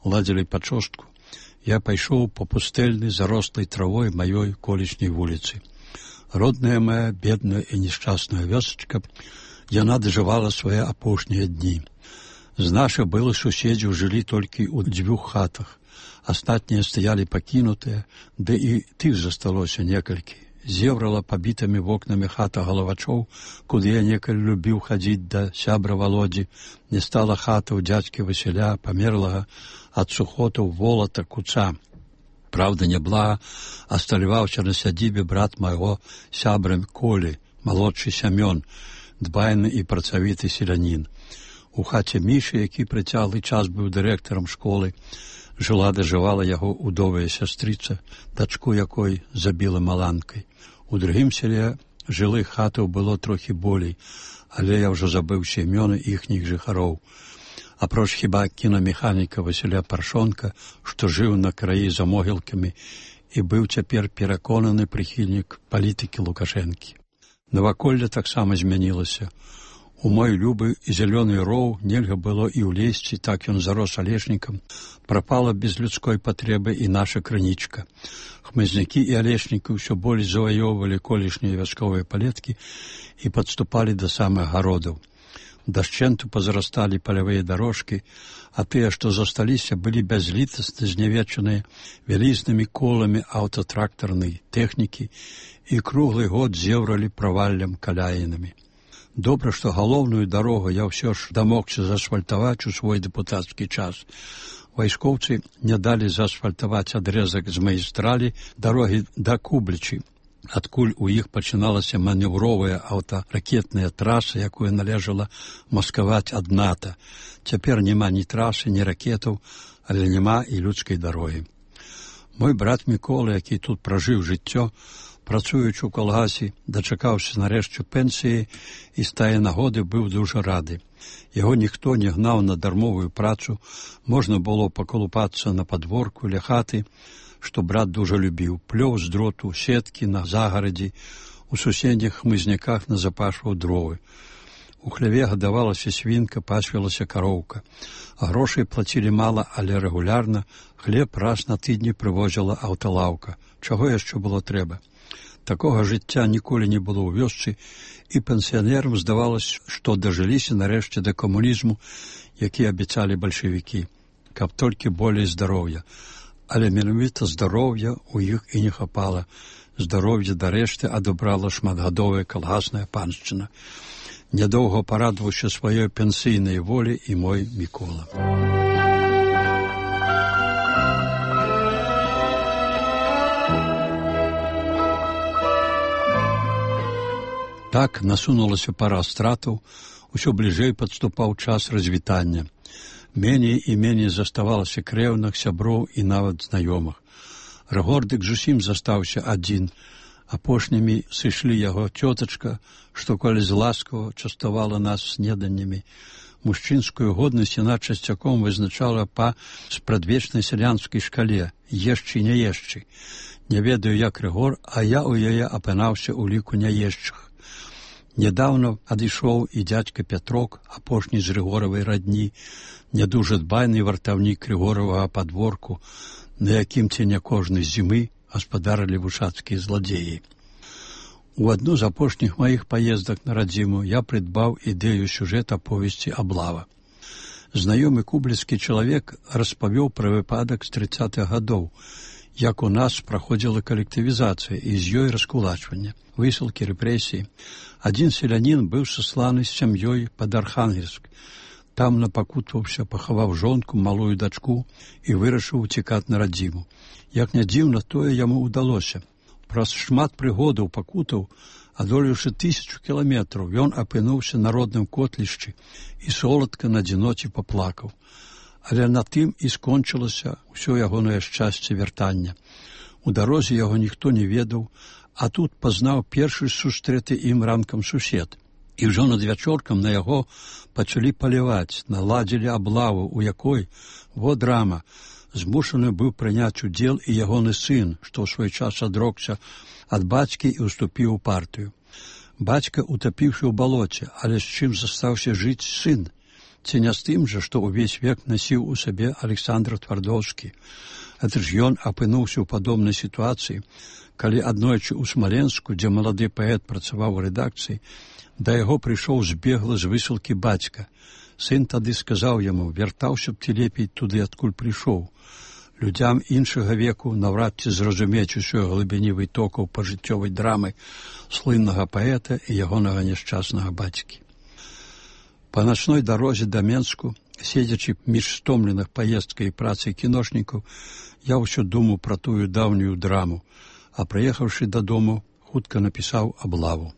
ладзілі пачостку, я пайшоў па пустэльнай, зарослай травой маёй колішняй вуліцы. Родная моя, бедная і несчастная вёсачка, яна дажывала свае апошнія дні. З нашых былых суседзяў жылі толькі ў дзвюх хатах. Астатнія стаялі пакінутыя, ды і тых засталося некалькі. Зеврала пабітымі вокнамі хата галавачоў, куды я некалі любіў хадзіць да сябра Володзі. Не стала хата ў дзядзькі Васіля, памерлага ад сухотаў волата куца. Правда, няблага асталяваўся на сядзібе брат майго сябра Колі, малодшы Сямён, дбайны і працавіты селянін. У хаце Мішы, які прыцяглы час быў дырэктарам школы, жыла дажывала яго удовая сястрыца, дачку якой забіла маланкай. У другім селе жылых хатаў было трохі болей, але я ўжо забыўся імёны іхніх жыхароў. Апроч хіба кінамеханіка Васіля Паршонка, што жыў на краі за могілкамі і быў цяпер пераконаны прыхільнік палітыкі Лукашэнкі. Наваколле таксама змянілася. У мой любы і зялёны роў нельга было і ўлезці, так ён зарос алешнікам. Прапала без людской патрэбы і наша крынічка. Хмызнякі і алешнікі ўсё болей заваёўвалі колішнія вясковыя палеткі і падступалі да самых гародаў. Дашчэнту пазарасталі палявыя дарожкі, а тыя, што засталіся, былі бязлітасна знявечаныя вялізнымі коламі аўтатрактарнай тэхнікі і круглы год зеўралі праваллям каляінамі. Добра, што галоўную дарогу я ўсё ж дамогся заасфальтаваць у свой дэпутацкі час. Вайскоўцы не далі заасфальтаваць адрэзак з магістралі дарогі да Кублічы. адкуль у іх пачыналася манеўровая аўтаракетная траса, якую належала маскаваць ад НАТО. Цяпер няма ні трасы, ні ракетаў, але няма і людскай дарогі. Мой брат Мікола, які тут пражыў жыццё, працуючы ў калгасе, дачакаўся нарэшце пенсіі і з тае нагоды быў дужа рады. Яго ніхто не гнаў на дармовую працу, можна было пакалупацца на падворку ля хаты, што брат дужа любіў, плёў з дроту, сеткі на загарадзі, у суседніх хмызняках назапашваў дровы. У хляве гадавалася свінка, пасвілася кароўка. А грошай плацілі мала, але рэгулярна, хлеб раз на тыдні прывозіла аўталаўка. Чаго яшчэ было трэба? Такога жыцця ніколі не было ў вёсцы, і пенсіянерам здавалася, што дажыліся нарэшце да камунізму, які абяцалі бальшавікі, каб толькі болей здароўя. Але менавіта здароўя ў іх і не хапала. Здароўе дарэшты адабрала шматгадовая калгасная паншчына. Нядоўга парадаваўся сваёй пенсійнай волі і мой Мікола. Так насунулася пара стратаў, усё бліжэй падступаў час развітання. Меней і меней заставалася крэўных, сяброў і нават знаёмых. Рагордык зусім застаўся адзін. Апошнімі сышлі яго цётачка, што калі з ласкава частавала нас снеданнямі. Мужчынскую годнасць яна часцяком вызначала па спрадвечнай сялянскай шкале «ешчы, не ешчы». Не ведаю, як Рыгор, а я ў яе апынаўся ў ліку няешчых. Нядаўна адышоў і дзядзька Пятрок, апошні з Рыгоравай радні, не дужа дбайны вартаўнік Рыгоравага падворку, на якім ценя кожнай зімы гаспадарылі вушацкія зладзеі. У адну з апошніх маіх паездак на радзіму я прыдбаў ідэю сюжэта повесці «Аблава». Знаёмы кубліцкі чалавек распавёў пра выпадак з трыццатых гадоў, як у нас праходзіла калектывізацыя і з ёй раскулачванне, высылкі, рэпрэсіі. Адзін селянін быў сасланы з сям'ёй пад Архангельск. Там напакутваўся, пахаваў жонку, малую дачку і вырашыў уцікаць на радзіму. Як не дзіўна, тое яму ўдалося. Праз шмат прыгодаў, пакутаў, адолеўшы тысячу кіламетраў, ён апынуўся на родным котлішчы і соладка на адзіноце паплакаў. Але на тым і скончылася ўсё ягонае шчасце вяртання. У дарозе яго ніхто не ведаў, а тут пазнаў першы сустрэты ім ранкам сусед. І ўжо над вячоркам на яго пачалі паліваць, наладзілі аблаву, у якой, во драма, змушаны быў прыняць удзел і ягоны сын, што ў свой час адрокся ад бацькі і ўступіў у партыю. Бацька утапіўся ў балоце, але з чым застаўся жыць сын? Ці не з тым жа, што ўвесь век насіў у сабе Александр Твардоўскі. Гэта ж ён апынуўся ў падобнай сітуацыі, калі аднойчы ў Смаленску, дзе малады паэт працаваў у рэдакцыі, да яго прыйшоў збегла з высылкі бацька. Сын тады сказаў яму, вяртаўся б ты лепей туды, адкуль прыйшоў. Людзям іншага веку наўрад ці зразумець усёй глыбіні вытокаў пажыццёвай драмы слыннага паэта і ягонага няшчаснага бацькі. Па начной дарозе да Менску, седзячы між стомленых паездкай і працай кіношнікаў, я ўсё думаў пра тую даўнюю драму, а прыехаўшы дадому, хутка напісаў «Аблаву».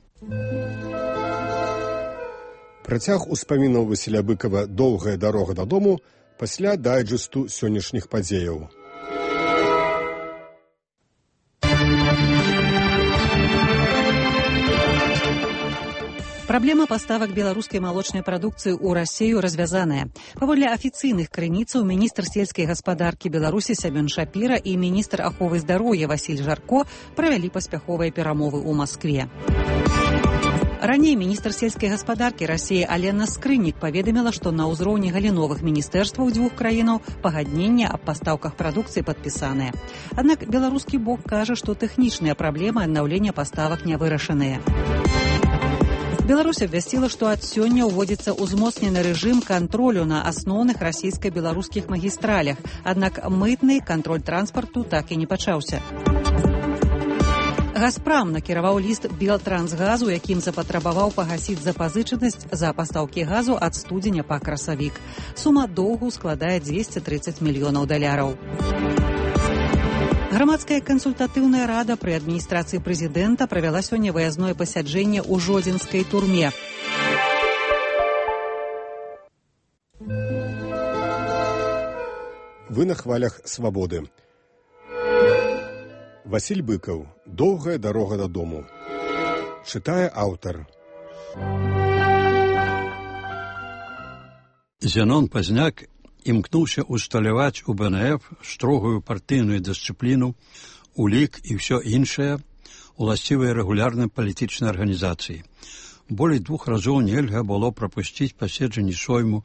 Працяг успамінаў Васіля Быкава «Доўгая дарога дадому» пасля дайджэсту сённяшніх падзеяў. Праблема паставак беларускай малочнай прадукцыі ў Расею развязаная. Паводле афіцыйных крыніцаў, міністр сельскай гаспадаркі Беларусі Сямён Шапіра і міністр аховы здароўя Васіль Жарко правялі паспяховыя перамовы ў Маскве. Раней міністр сельскай гаспадаркі Расеі Алена Скрыннік паведаміла, што на ўзроўні галіновых міністэрстваў дзвюх краінаў пагадненне аб пастаўках прадукцыі падпісанае. Аднак беларускі бок кажа, што тэхнічныя праблемы аднаўлення паставак не вырашаныя. Беларусь абвясціла, што ад сёння ўводзіцца ўзмоцнены рэжым кантролю на асноўных расійска-беларускіх магістралях, аднак мытны кантроль транспарту так і не пачаўся. «Газпрам» накіраваў ліст «Белтрансгазу», якім запатрабаваў пагасіць запазычанасць за пастаўкі газу ад студзеня па красавік. Сума доўгу складае дзвесце трыццаць мільёнаў даляраў. Грамадская кансультатыўная рада пры адміністрацыі прэзідэнта правяла сёння выязное пасяджэнне ў жодзінскай турме. Вы на хвалях свабоды. Васіль Быкаў. Доўгая дарога дадому. Чытае аўтар. Зенон Пазняк імкнуўся усталяваць у бэ эн эф строгую партыйную дысцыпліну, улік і ўсё іншае, уласцівыя рэгулярнай палітычнай арганізацыі. Болей двух разоў нельга было прапусціць паседжанні сойму,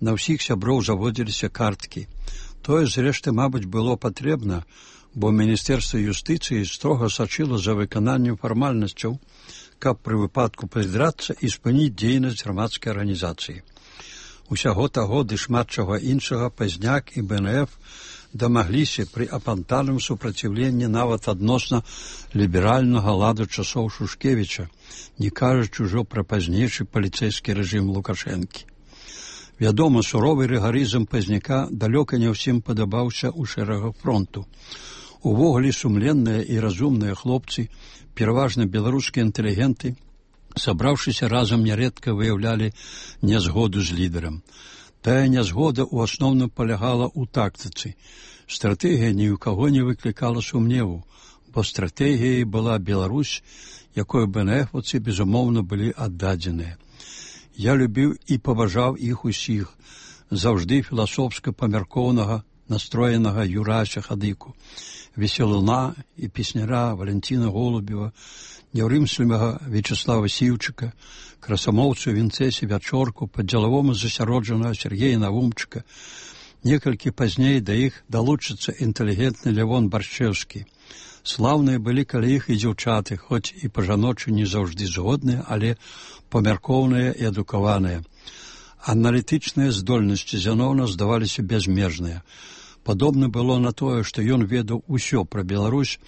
на ўсіх сяброў заводзіліся карткі. Тое, зрэшты, мабыць, было патрэбна, бо Міністэрства юстыцыі строга сачыла за выкананнем фармальнасцяў, каб пры выпадку прыдрацца і спыніць дзейнасць грамадскай арганізацыі. Усяго таго ды шмат чаго іншага Пазняк і бэ эн эф дамагліся пры апантаным супраціўленні нават адносна ліберальнага ладу часоў Шушкевіча, не кажучы ўжо пра пазнейшы паліцэйскі рэжым Лукашэнкі. Вядома, суровы рыгарызм Пазняка далёка не ўсім падабаўся ў шэрагах фронту. Увогуле сумленныя і разумныя хлопцы, пераважна беларускія інтэлігенты, сабраўшыся разам нярэдка выяўлялі нязгоду з лідарам. Тая нязгода ў асноўным палягала ў тактыцы. Стратэгія ні ў каго не выклікала сумневу, бо стратэгіяй была Беларусь, якой бэ эн эфаўцы, безумоўна, былі аддадзеныя. Я любіў і паважаў іх усіх, заўжды філасофска-памяркоўнага, настроенага Юрася Хадыку, веселуна і песняра Валентина Голубева, няўрымслівага Вячеслава Сіўчыка, красамоўцу Вінцэсі Вячорку, падзелавому засяроджанага Сергея Навумчыка. Некалькі пазней да іх далучыцца інтэлігентны Лявон Баршчэўскі. Слаўныя былі калі іх і дзяўчаты, хоць і па-жаночы не заўжды згодныя, але памяркоўныя і адукаваныя. Аналітычныя здольнасці Зянона здаваліся бязмежныя. Падобна было на тое, што ён ведаў усё пра Беларусь,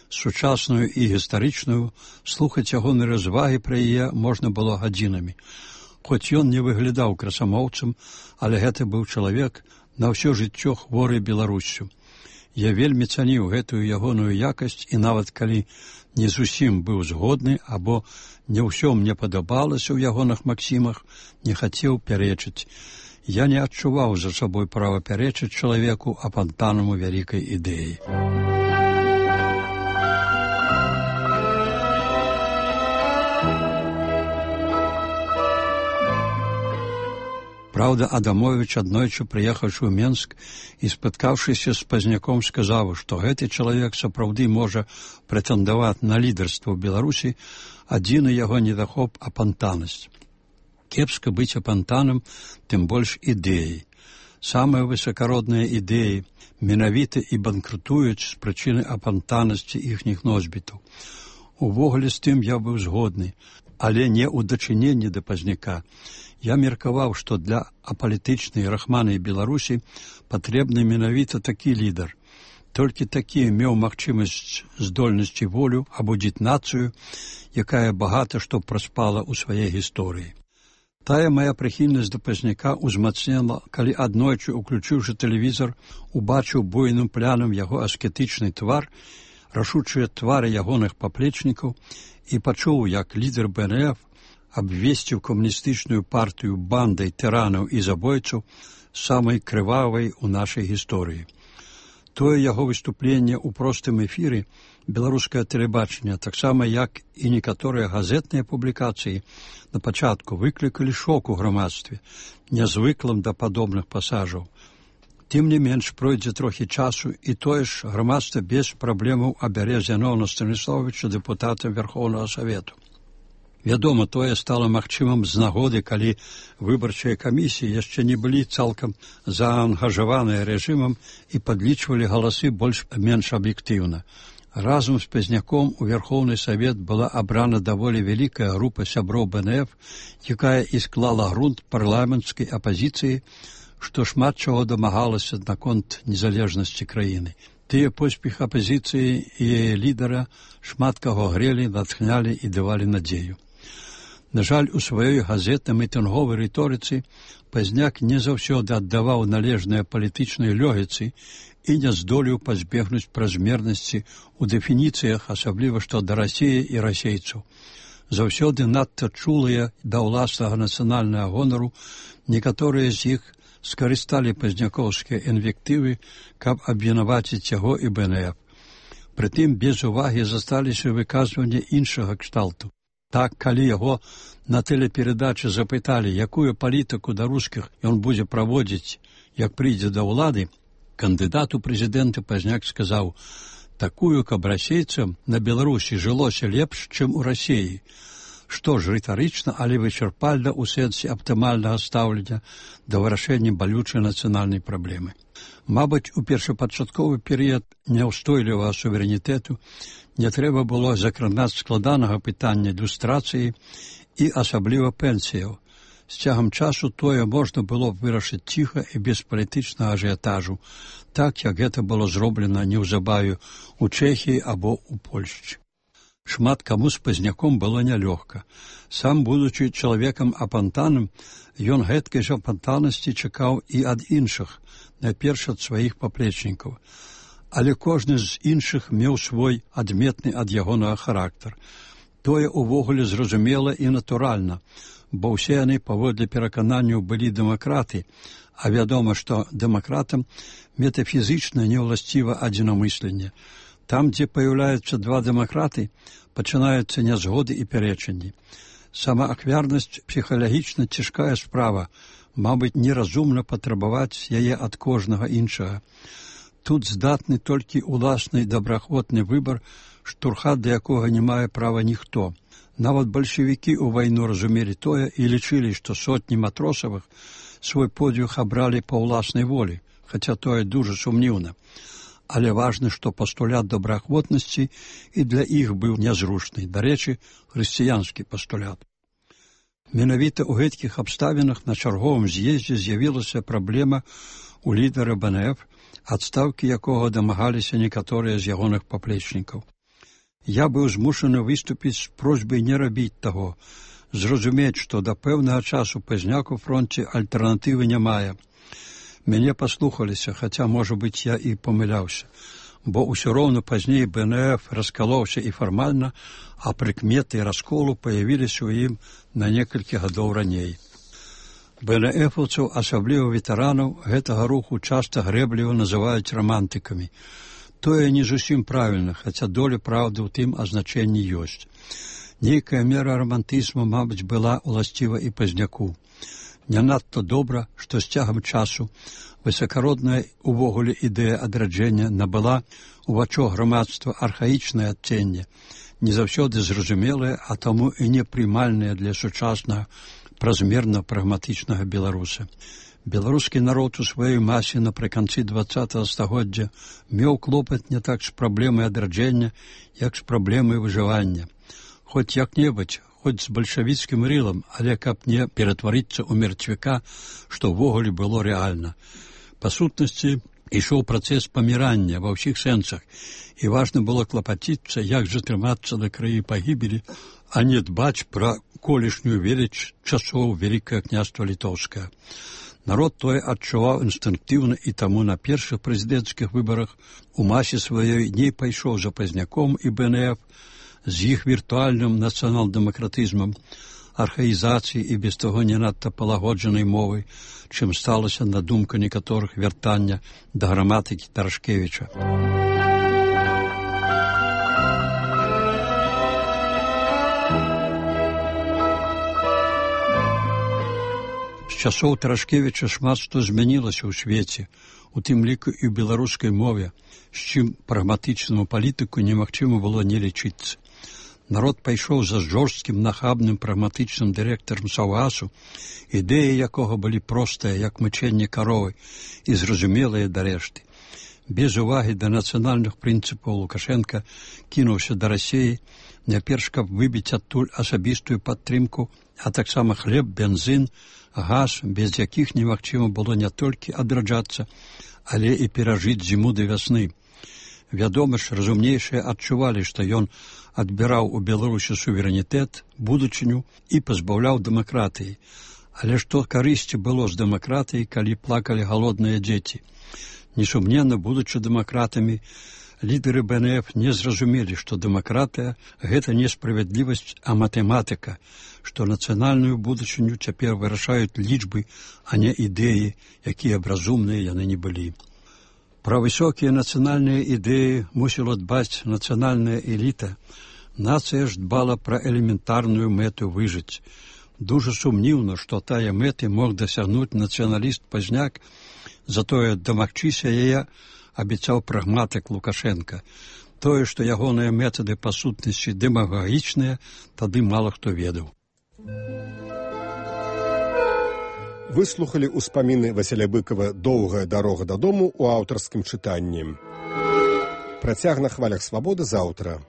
сучасную і гістарычную, слухаць ягоны развагі пра яе можна было гадзінамі. Хоць ён не выглядаў красамоўцам, але гэта быў чалавек на ўсё жыццё хворы Беларуссю. Я вельмі цаніў гэтую ягоную якасць і нават калі не зусім быў згодны або не ўсё мне падабалася ў ягоных максімах, не хацеў пярэчыць. Я не адчуваў за сабой права пярэчыць чалавеку, апантанаму вялікай ідэі. Праўда, Адамовіч, аднойчы прыехаўшы ў Менск і спаткаўшыся з Пазняком, сказаў, што гэты чалавек сапраўды можа прэтэндаваць на лідарства ў Беларусі, адзіны яго недахоп апантанасць. Кепска быць апантаным, тым больш ідэяй. Самыя высакародныя ідэі менавіта і банкрутуюць з прычыны апантанасці іхніх носьбітаў. Увогуле з тым я быў згодны, але не ў дачыненні да Пазняка. Я меркаваў, што для апалітычнай рахманай Беларусі патрэбны менавіта такі лідар. Толькі такі меў магчымасць, здольнасць і волю абудзіць нацыю, якая багата што праспала ў сваёй гісторыі. Тая мая прыхільнасць да Пазняка ўзмацнела, калі аднойчы, уключыўшы тэлевізор, убачыў буйным плянам яго аскетычны твар, рашучыя твары ягоных паплечнікаў і пачуў, як лідар бэ эн эф абвесціў камуністычную партыю бандай тыранаў і забойцаў самай крывавай у нашай гісторыі. Тое яго выступленне ў простым эфіры беларускае тэлебачанне, таксама як і некаторыя газетныя публікацыі, на пачатку выклікалі шок у грамадстве, нязвыклым да падобных пасажаў. Тым не менш, пройдзе трохі часу, і тое ж грамадства без праблемаў абярэ Зянона Станіславовича дэпутатам Верхоўнага Савету. Вядома, тое стала магчымым з нагоды, калі выбарчыя камісіі яшчэ не былі цалкам заангажаваныя рэжымам і падлічвалі галасы больш-менш аб'ектыўна. Разам з Пазняком у Верхоўны Савет была абрана даволі вялікая група сяброў бэ эн эф, якая і склала грунт парламенцкай апазіцыі, што шмат чаго дамагалася наконт незалежнасці краіны. Тыя поспех апазіцыі і яе лідара шмат каго грелі, натхнялі і давалі надзею. На жаль, у сваёй газетна-мітынговай рыторыцы Пазняк не заўсёды аддаваў належныя палітычнай лёгіцы і не здолеў пазбегнуць празмернасці ў дэфініцыях, асабліва што да Расіі і расейцаў. Заўсёды надта чулыя да ўласнага нацыянальнага гонару, некаторыя з іх скарысталі пазнякоўскія інвектывы, каб абвінаваціць яго і бэ эн эф. Прытым без увагі засталіся выказванні іншага кшталту. Так, калі яго на тэлеперадачы запыталі, якую палітыку да рускіх ён будзе праводзіць, як прыйдзе да ўлады, кандыдат у прэзідэнты пазняк сказаў: такую, каб расейцам на Беларусі жылося лепш, чым у Расіі, што ж рытарычна, але вычарпальна ў сэнсе аптымальнага стаўлення да вырашэння балючай нацыянальнай праблемы. Мабыць, у першапачатковы перыяд няўстойлівага суверэнітэту не трэба было закранаць складанага пытання ілюстрацыі і асабліва пенсіяў. З цягам часу тое можна было б вырашыць ціха і без палітычнага ажыятажу, так, як гэта было зроблена неўзабаве ў Чэхіі або ў Польшчы. Шмат каму з пазняком было нялёгка. Сам, будучы чалавекам апантаным, ён гэткай жа апантанасці чакаў і ад іншых, найперш ад сваіх паплечнікаў. Але кожны з іншых меў свой адметны ад ягонага характар. Тое ўвогуле зразумела і натуральна, бо ўсе яны паводле перакананняў былі дэмакраты, а вядома, што дэмакратам метафізічна не ўласціва адзінамысленне. Там, дзе паяўляюцца два дэмакраты, пачынаюцца нязгоды і пярэчанні. Самаахвярнасць псіхалагічна цяжкая справа, мабыць, неразумна патрабаваць яе ад кожнага іншага. Тут здатны толькі ўласны добраахвотны выбар, штурхат да якога не мае права ніхто. Нават бальшавікі ў вайну разумелі тое і лічылі, што сотні матросавых свой подвиг абралі па ўласнай волі, хаця тое дужа сумніўна. Але важна, што пастулят добраахвотнасці і для іх быў нязручны, дарэчы, хрысціянскі пастулят. Менавіта ў гэткіх абставінах на чарговым з'ездзе з'явілася праблема у лідара бэ эн эф, адстаўкі якога дамагаліся некаторыя з ягоных паплечнікаў. Я быў змушаны выступіць з просьбай не рабіць таго, зразумець, што да пэўнага часу пазняк у фронце альтэрнатывы не мае. Мяне паслухаліся, хаця, можа быць, я і памыляўся, бо ўсё роўна пазней бэ эн эф раскалоўся і фармальна, а прыкметы расколу паявіліся ў ім на некалькі гадоў раней. бэ эн эфаўцаў, асабліва ветэранаў, гэтага руху часта грэбліва называюць рамантыкамі. Тое не зусім правільна, хаця доля праўды ў тым азначэнні ёсць. Нейкая мера рамантызму, мабыць, была ўласціва і пазняку. Не надта добра, што з цягам часу высакародная увогуле ідэя адраджэння набыла у вачах грамадства архаічнае адценне, не заўсёды зразумелае, а таму і непрымальнае для сучаснага празмерна-прагматычнага беларуса. Беларускі народ у сваёй масе напрыканцы дваццатага стагоддзя меў клопат не так з праблемай адраджэння, як з праблемай выжывання. Хоць як-небудзь, хоць з бальшавіцкім рылам, але каб не ператварыцца ў мертвяка, што ўвогуле было рэальна. Па сутнасці, ішоў працэс памірання ва ўсіх сэнсах, і важна было клапаціцца, як жа трымацца на краі пагібелі, а не дбаць пра колішнюю веліч часоў Вялікае княства Літоўскае. Народ тое адчуваў інстынктыўна, і таму на першых прэзідэнцкіх выбарах у масе сваёй не пайшоў за пазняком і бэ эн эф з іх віртуальным нацыянал-дэмакратызмам, архаізацыі і без таго не надта палагоджанай мовай, чым сталася на думку некаторых вяртання да граматыкі Тарашкевіча. З часоў Тарашкевіча шмат што змянілася ў свеце, у тым ліку і ў беларускай мове, з чым прагматычнаму палітыку немагчыма было не лічыцца. Народ пайшоў за жорсткім, нахабным, прагматычным дырэктарам Саўгасу, ідэі якога былі простыя, як мычэнне каровы, і зразумелыя да рэшты. Без увагі да нацыянальных прынцыпаў Лукашенка кінуўся да Расіі, няперш каб выбіць адтуль асабістую падтрымку, а таксама хлеб, бензін, газ, без якіх немагчыма было не толькі адраджацца, але і перажыць зіму да вясны. Вядома ж, разумнейшыя адчувалі, што ён адбіраў у Беларусі суверэнітэт, будучыню і пазбаўляў дэмакратыі. Але што карысці было з дэмакратыі, калі плакалі галодныя дзеці? Несумненна, будучы дэмакратамі, лідары бэ эн эф не зразумелі, што дэмакратыя – гэта не справядлівасць, а матэматыка, што нацыянальную будучыню цяпер вырашаюць лічбы, а не ідэі, якія б разумныя яны не былі. Пра высокія нацыянальныя ідэі мусіла дбаць нацыянальная эліта. Нацыя ж дбала пра элементарную мэту выжыць. Дужа сумніўна, што тая мэты мог дасягнуць нацыяналіст-пазняк, затое дамагчыся яе абяцаў прагматык Лукашенка. Тое, што ягоныя метады па сутнасці дэмагагічныя, тады мала хто ведаў. Выслухалі ўспаміны Васіля Быкова «Доўгая дарога дадому» у аўтарскім чытанні. Працяг на хвалях свабоды заўтра.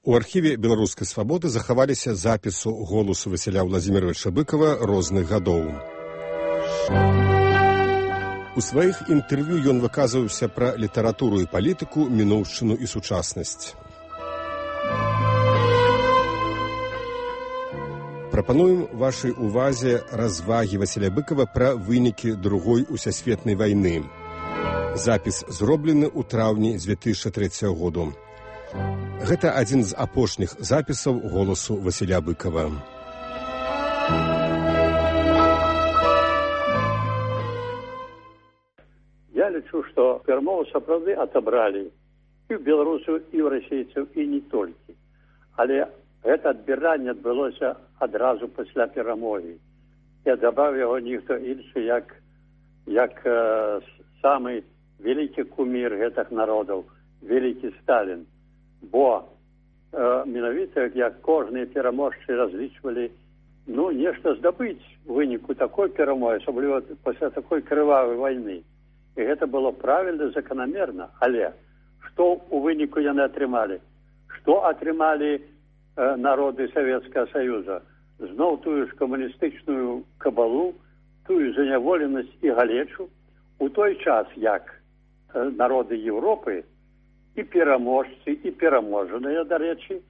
У архіве «Беларускай свабоды» захаваліся запісу голасу Васіля Владзіміровича Быкова розных гадоў. У сваіх інтэрв'ю ён выказваўся пра літаратуру і палітыку, мінуўшчыну і сучаснасць. Прапануем вашай увазе развагі Васіля Быкова пра вынікі Другой усесветнай вайны. Запіс зроблены ў траўні дзве тысячы трэцяга году. Гэта адзін з апошніх запісаў голасу Васіля Быкова. Я лічу, што перамову сапраўды атобралі і ў беларусаў, і ў расейцаў, і не толькі. Але гэта адбіранне адбылося адразу пасля перамогі. І адабраў яго ніхто іншы, як, як э, самы вялікі кумір гэтых народаў, вялікі Сталін. Бо э, менавіта, як кожныя пераможцы разлічвалі, ну, нешта здабыць у выніку такой перамогі, асабліва пасля такой крывавай вайны. І гэта было правільна, заканамерна. Але што ў выніку яны атрымалі? Што атрымалі э, народы Савецкага Саюза? Зноў тую ж камуністычную кабалу, тую заняволенасць і галечу, у той час, як э, народы Еўропы і пераможцы, і пераможаныя, дарэчы,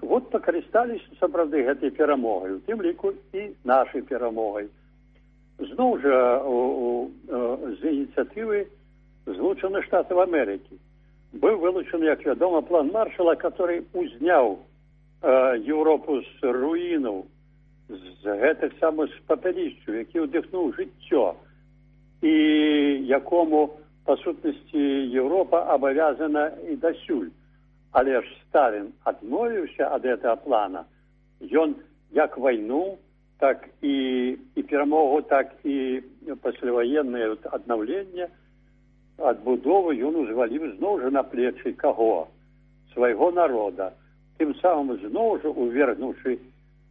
вот пакарысталіся сапраўды гэтай перамогай, у тым ліку і нашай перамогай. Зноў жа у, у, з ініцыятывы Злучаных Штатаў Амерыкі быў вылучаны, як вядома, план Маршала, который узняў э, Еўропу з руінаў, з гэтых самых папялішчаў, які ўдыхнуў жыццё, і якому па сутнасці Еўропа абавязана і дасюль. Але ж Сталін адмовіўся ад гэтага плана. Ён як вайну, так і, і перамогу, так і пасляваеннае аднаўленне, адбудову ён узваліў зноў жа на плечы каго? Свайго народа. Тым самым зноў жа увергнуўшы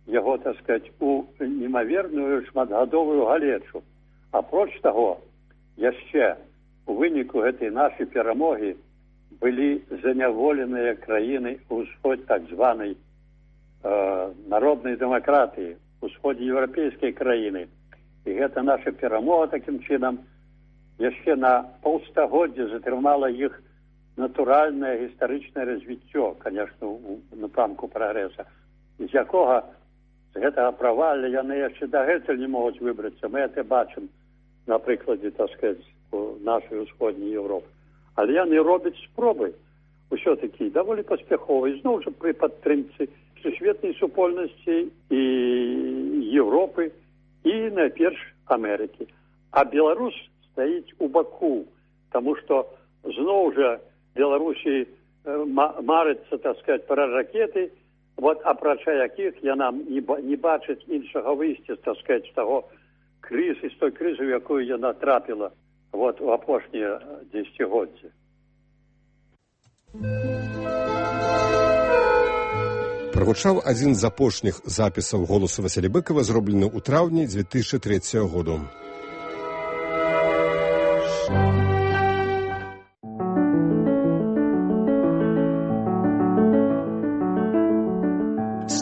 яго, так сказаць, у немаверную шматгадовую галечу. Апроч таго, яшчэ у выніку гэтай нашай перамогі былі заняволеныя краіны ўсход так званай э, народнай дэмакратыі, усходе еўрапейскай краіны. І гэта наша перамога такім чынам яшчэ на паўстагоддзя затрымала іх натуральнае гістарычнае развіццё, конечно, у напрамку прагрэса, з якога з гэтага правалля яны яшчэ дагэтуль не могуць выбрацца. Мы гэта бачым на прыкладзе, так сказаць, нашай усходняй Еўропы. Але яны робяць спробы ўсё-такі даволі паспяховай, зноў жа пры падтрымцы сусветнай супольнасці і Еўропы, і найперш Амерыкі. А Беларусь стаіць у баку, таму што зноў жа Беларусі марыцца, так сказаць, пра ракеты, вот, апрача якіх яна не, не бачыць іншага выйсця, так сказаць, з таго крызы, з той крызы, у якую яна трапіла вот, у апошнія дзесяцігоддзі. Прагучаў адзін з апошніх запісаў голасу Васіля Быкова, зроблены ў траўні дзве тысячы трэцяга году.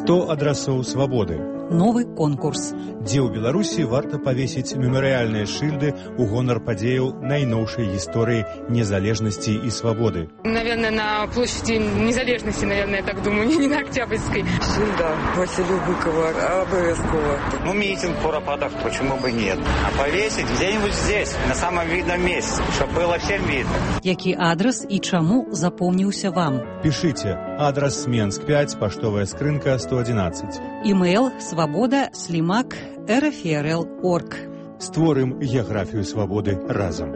сто адрасоў свабоды. Новы конкурс. Дзе ў Беларусі варта павесіць мемарыяльныя шыльды ў гонар падзеяў найноўшай гісторыі незалежнасці і свабоды. Наверное, на площади незалежности, наверное, я так думаю, не на Октябрьской. Шильда Василию Быкову обовязково. Ну, митинг в Куропатках, почему бы нет? А повесить где-нибудь здесь, на самом видном месте, чтобы было всем видно. Які адрес і чаму запомніўся вам? Пишите. Адрес Менск пять, поштовая скрынка сто одиннадцать. Имейл свобода слимак эр эф эр эл точка орг. Створым геаграфію свабоды разам.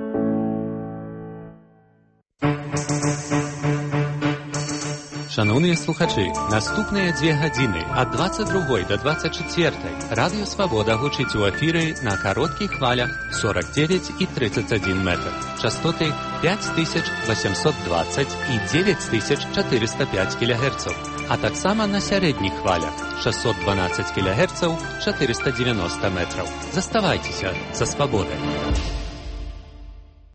Шановні слухачі, наступні дві години від двадцять другої до двадцять четвертої Радіо Свобода гучить у ефірі на коротких хвалях сорок дев'ять і тридцять один метр, частоти п'ять тисяч вісімсот двадцять і дев'ять тисяч чотириста п'ять кілогерців, а так само на середніх хвалях шістсот дванадцять кілогерців, чотириста дев'яносто метрів. Заставайтеся за свободою.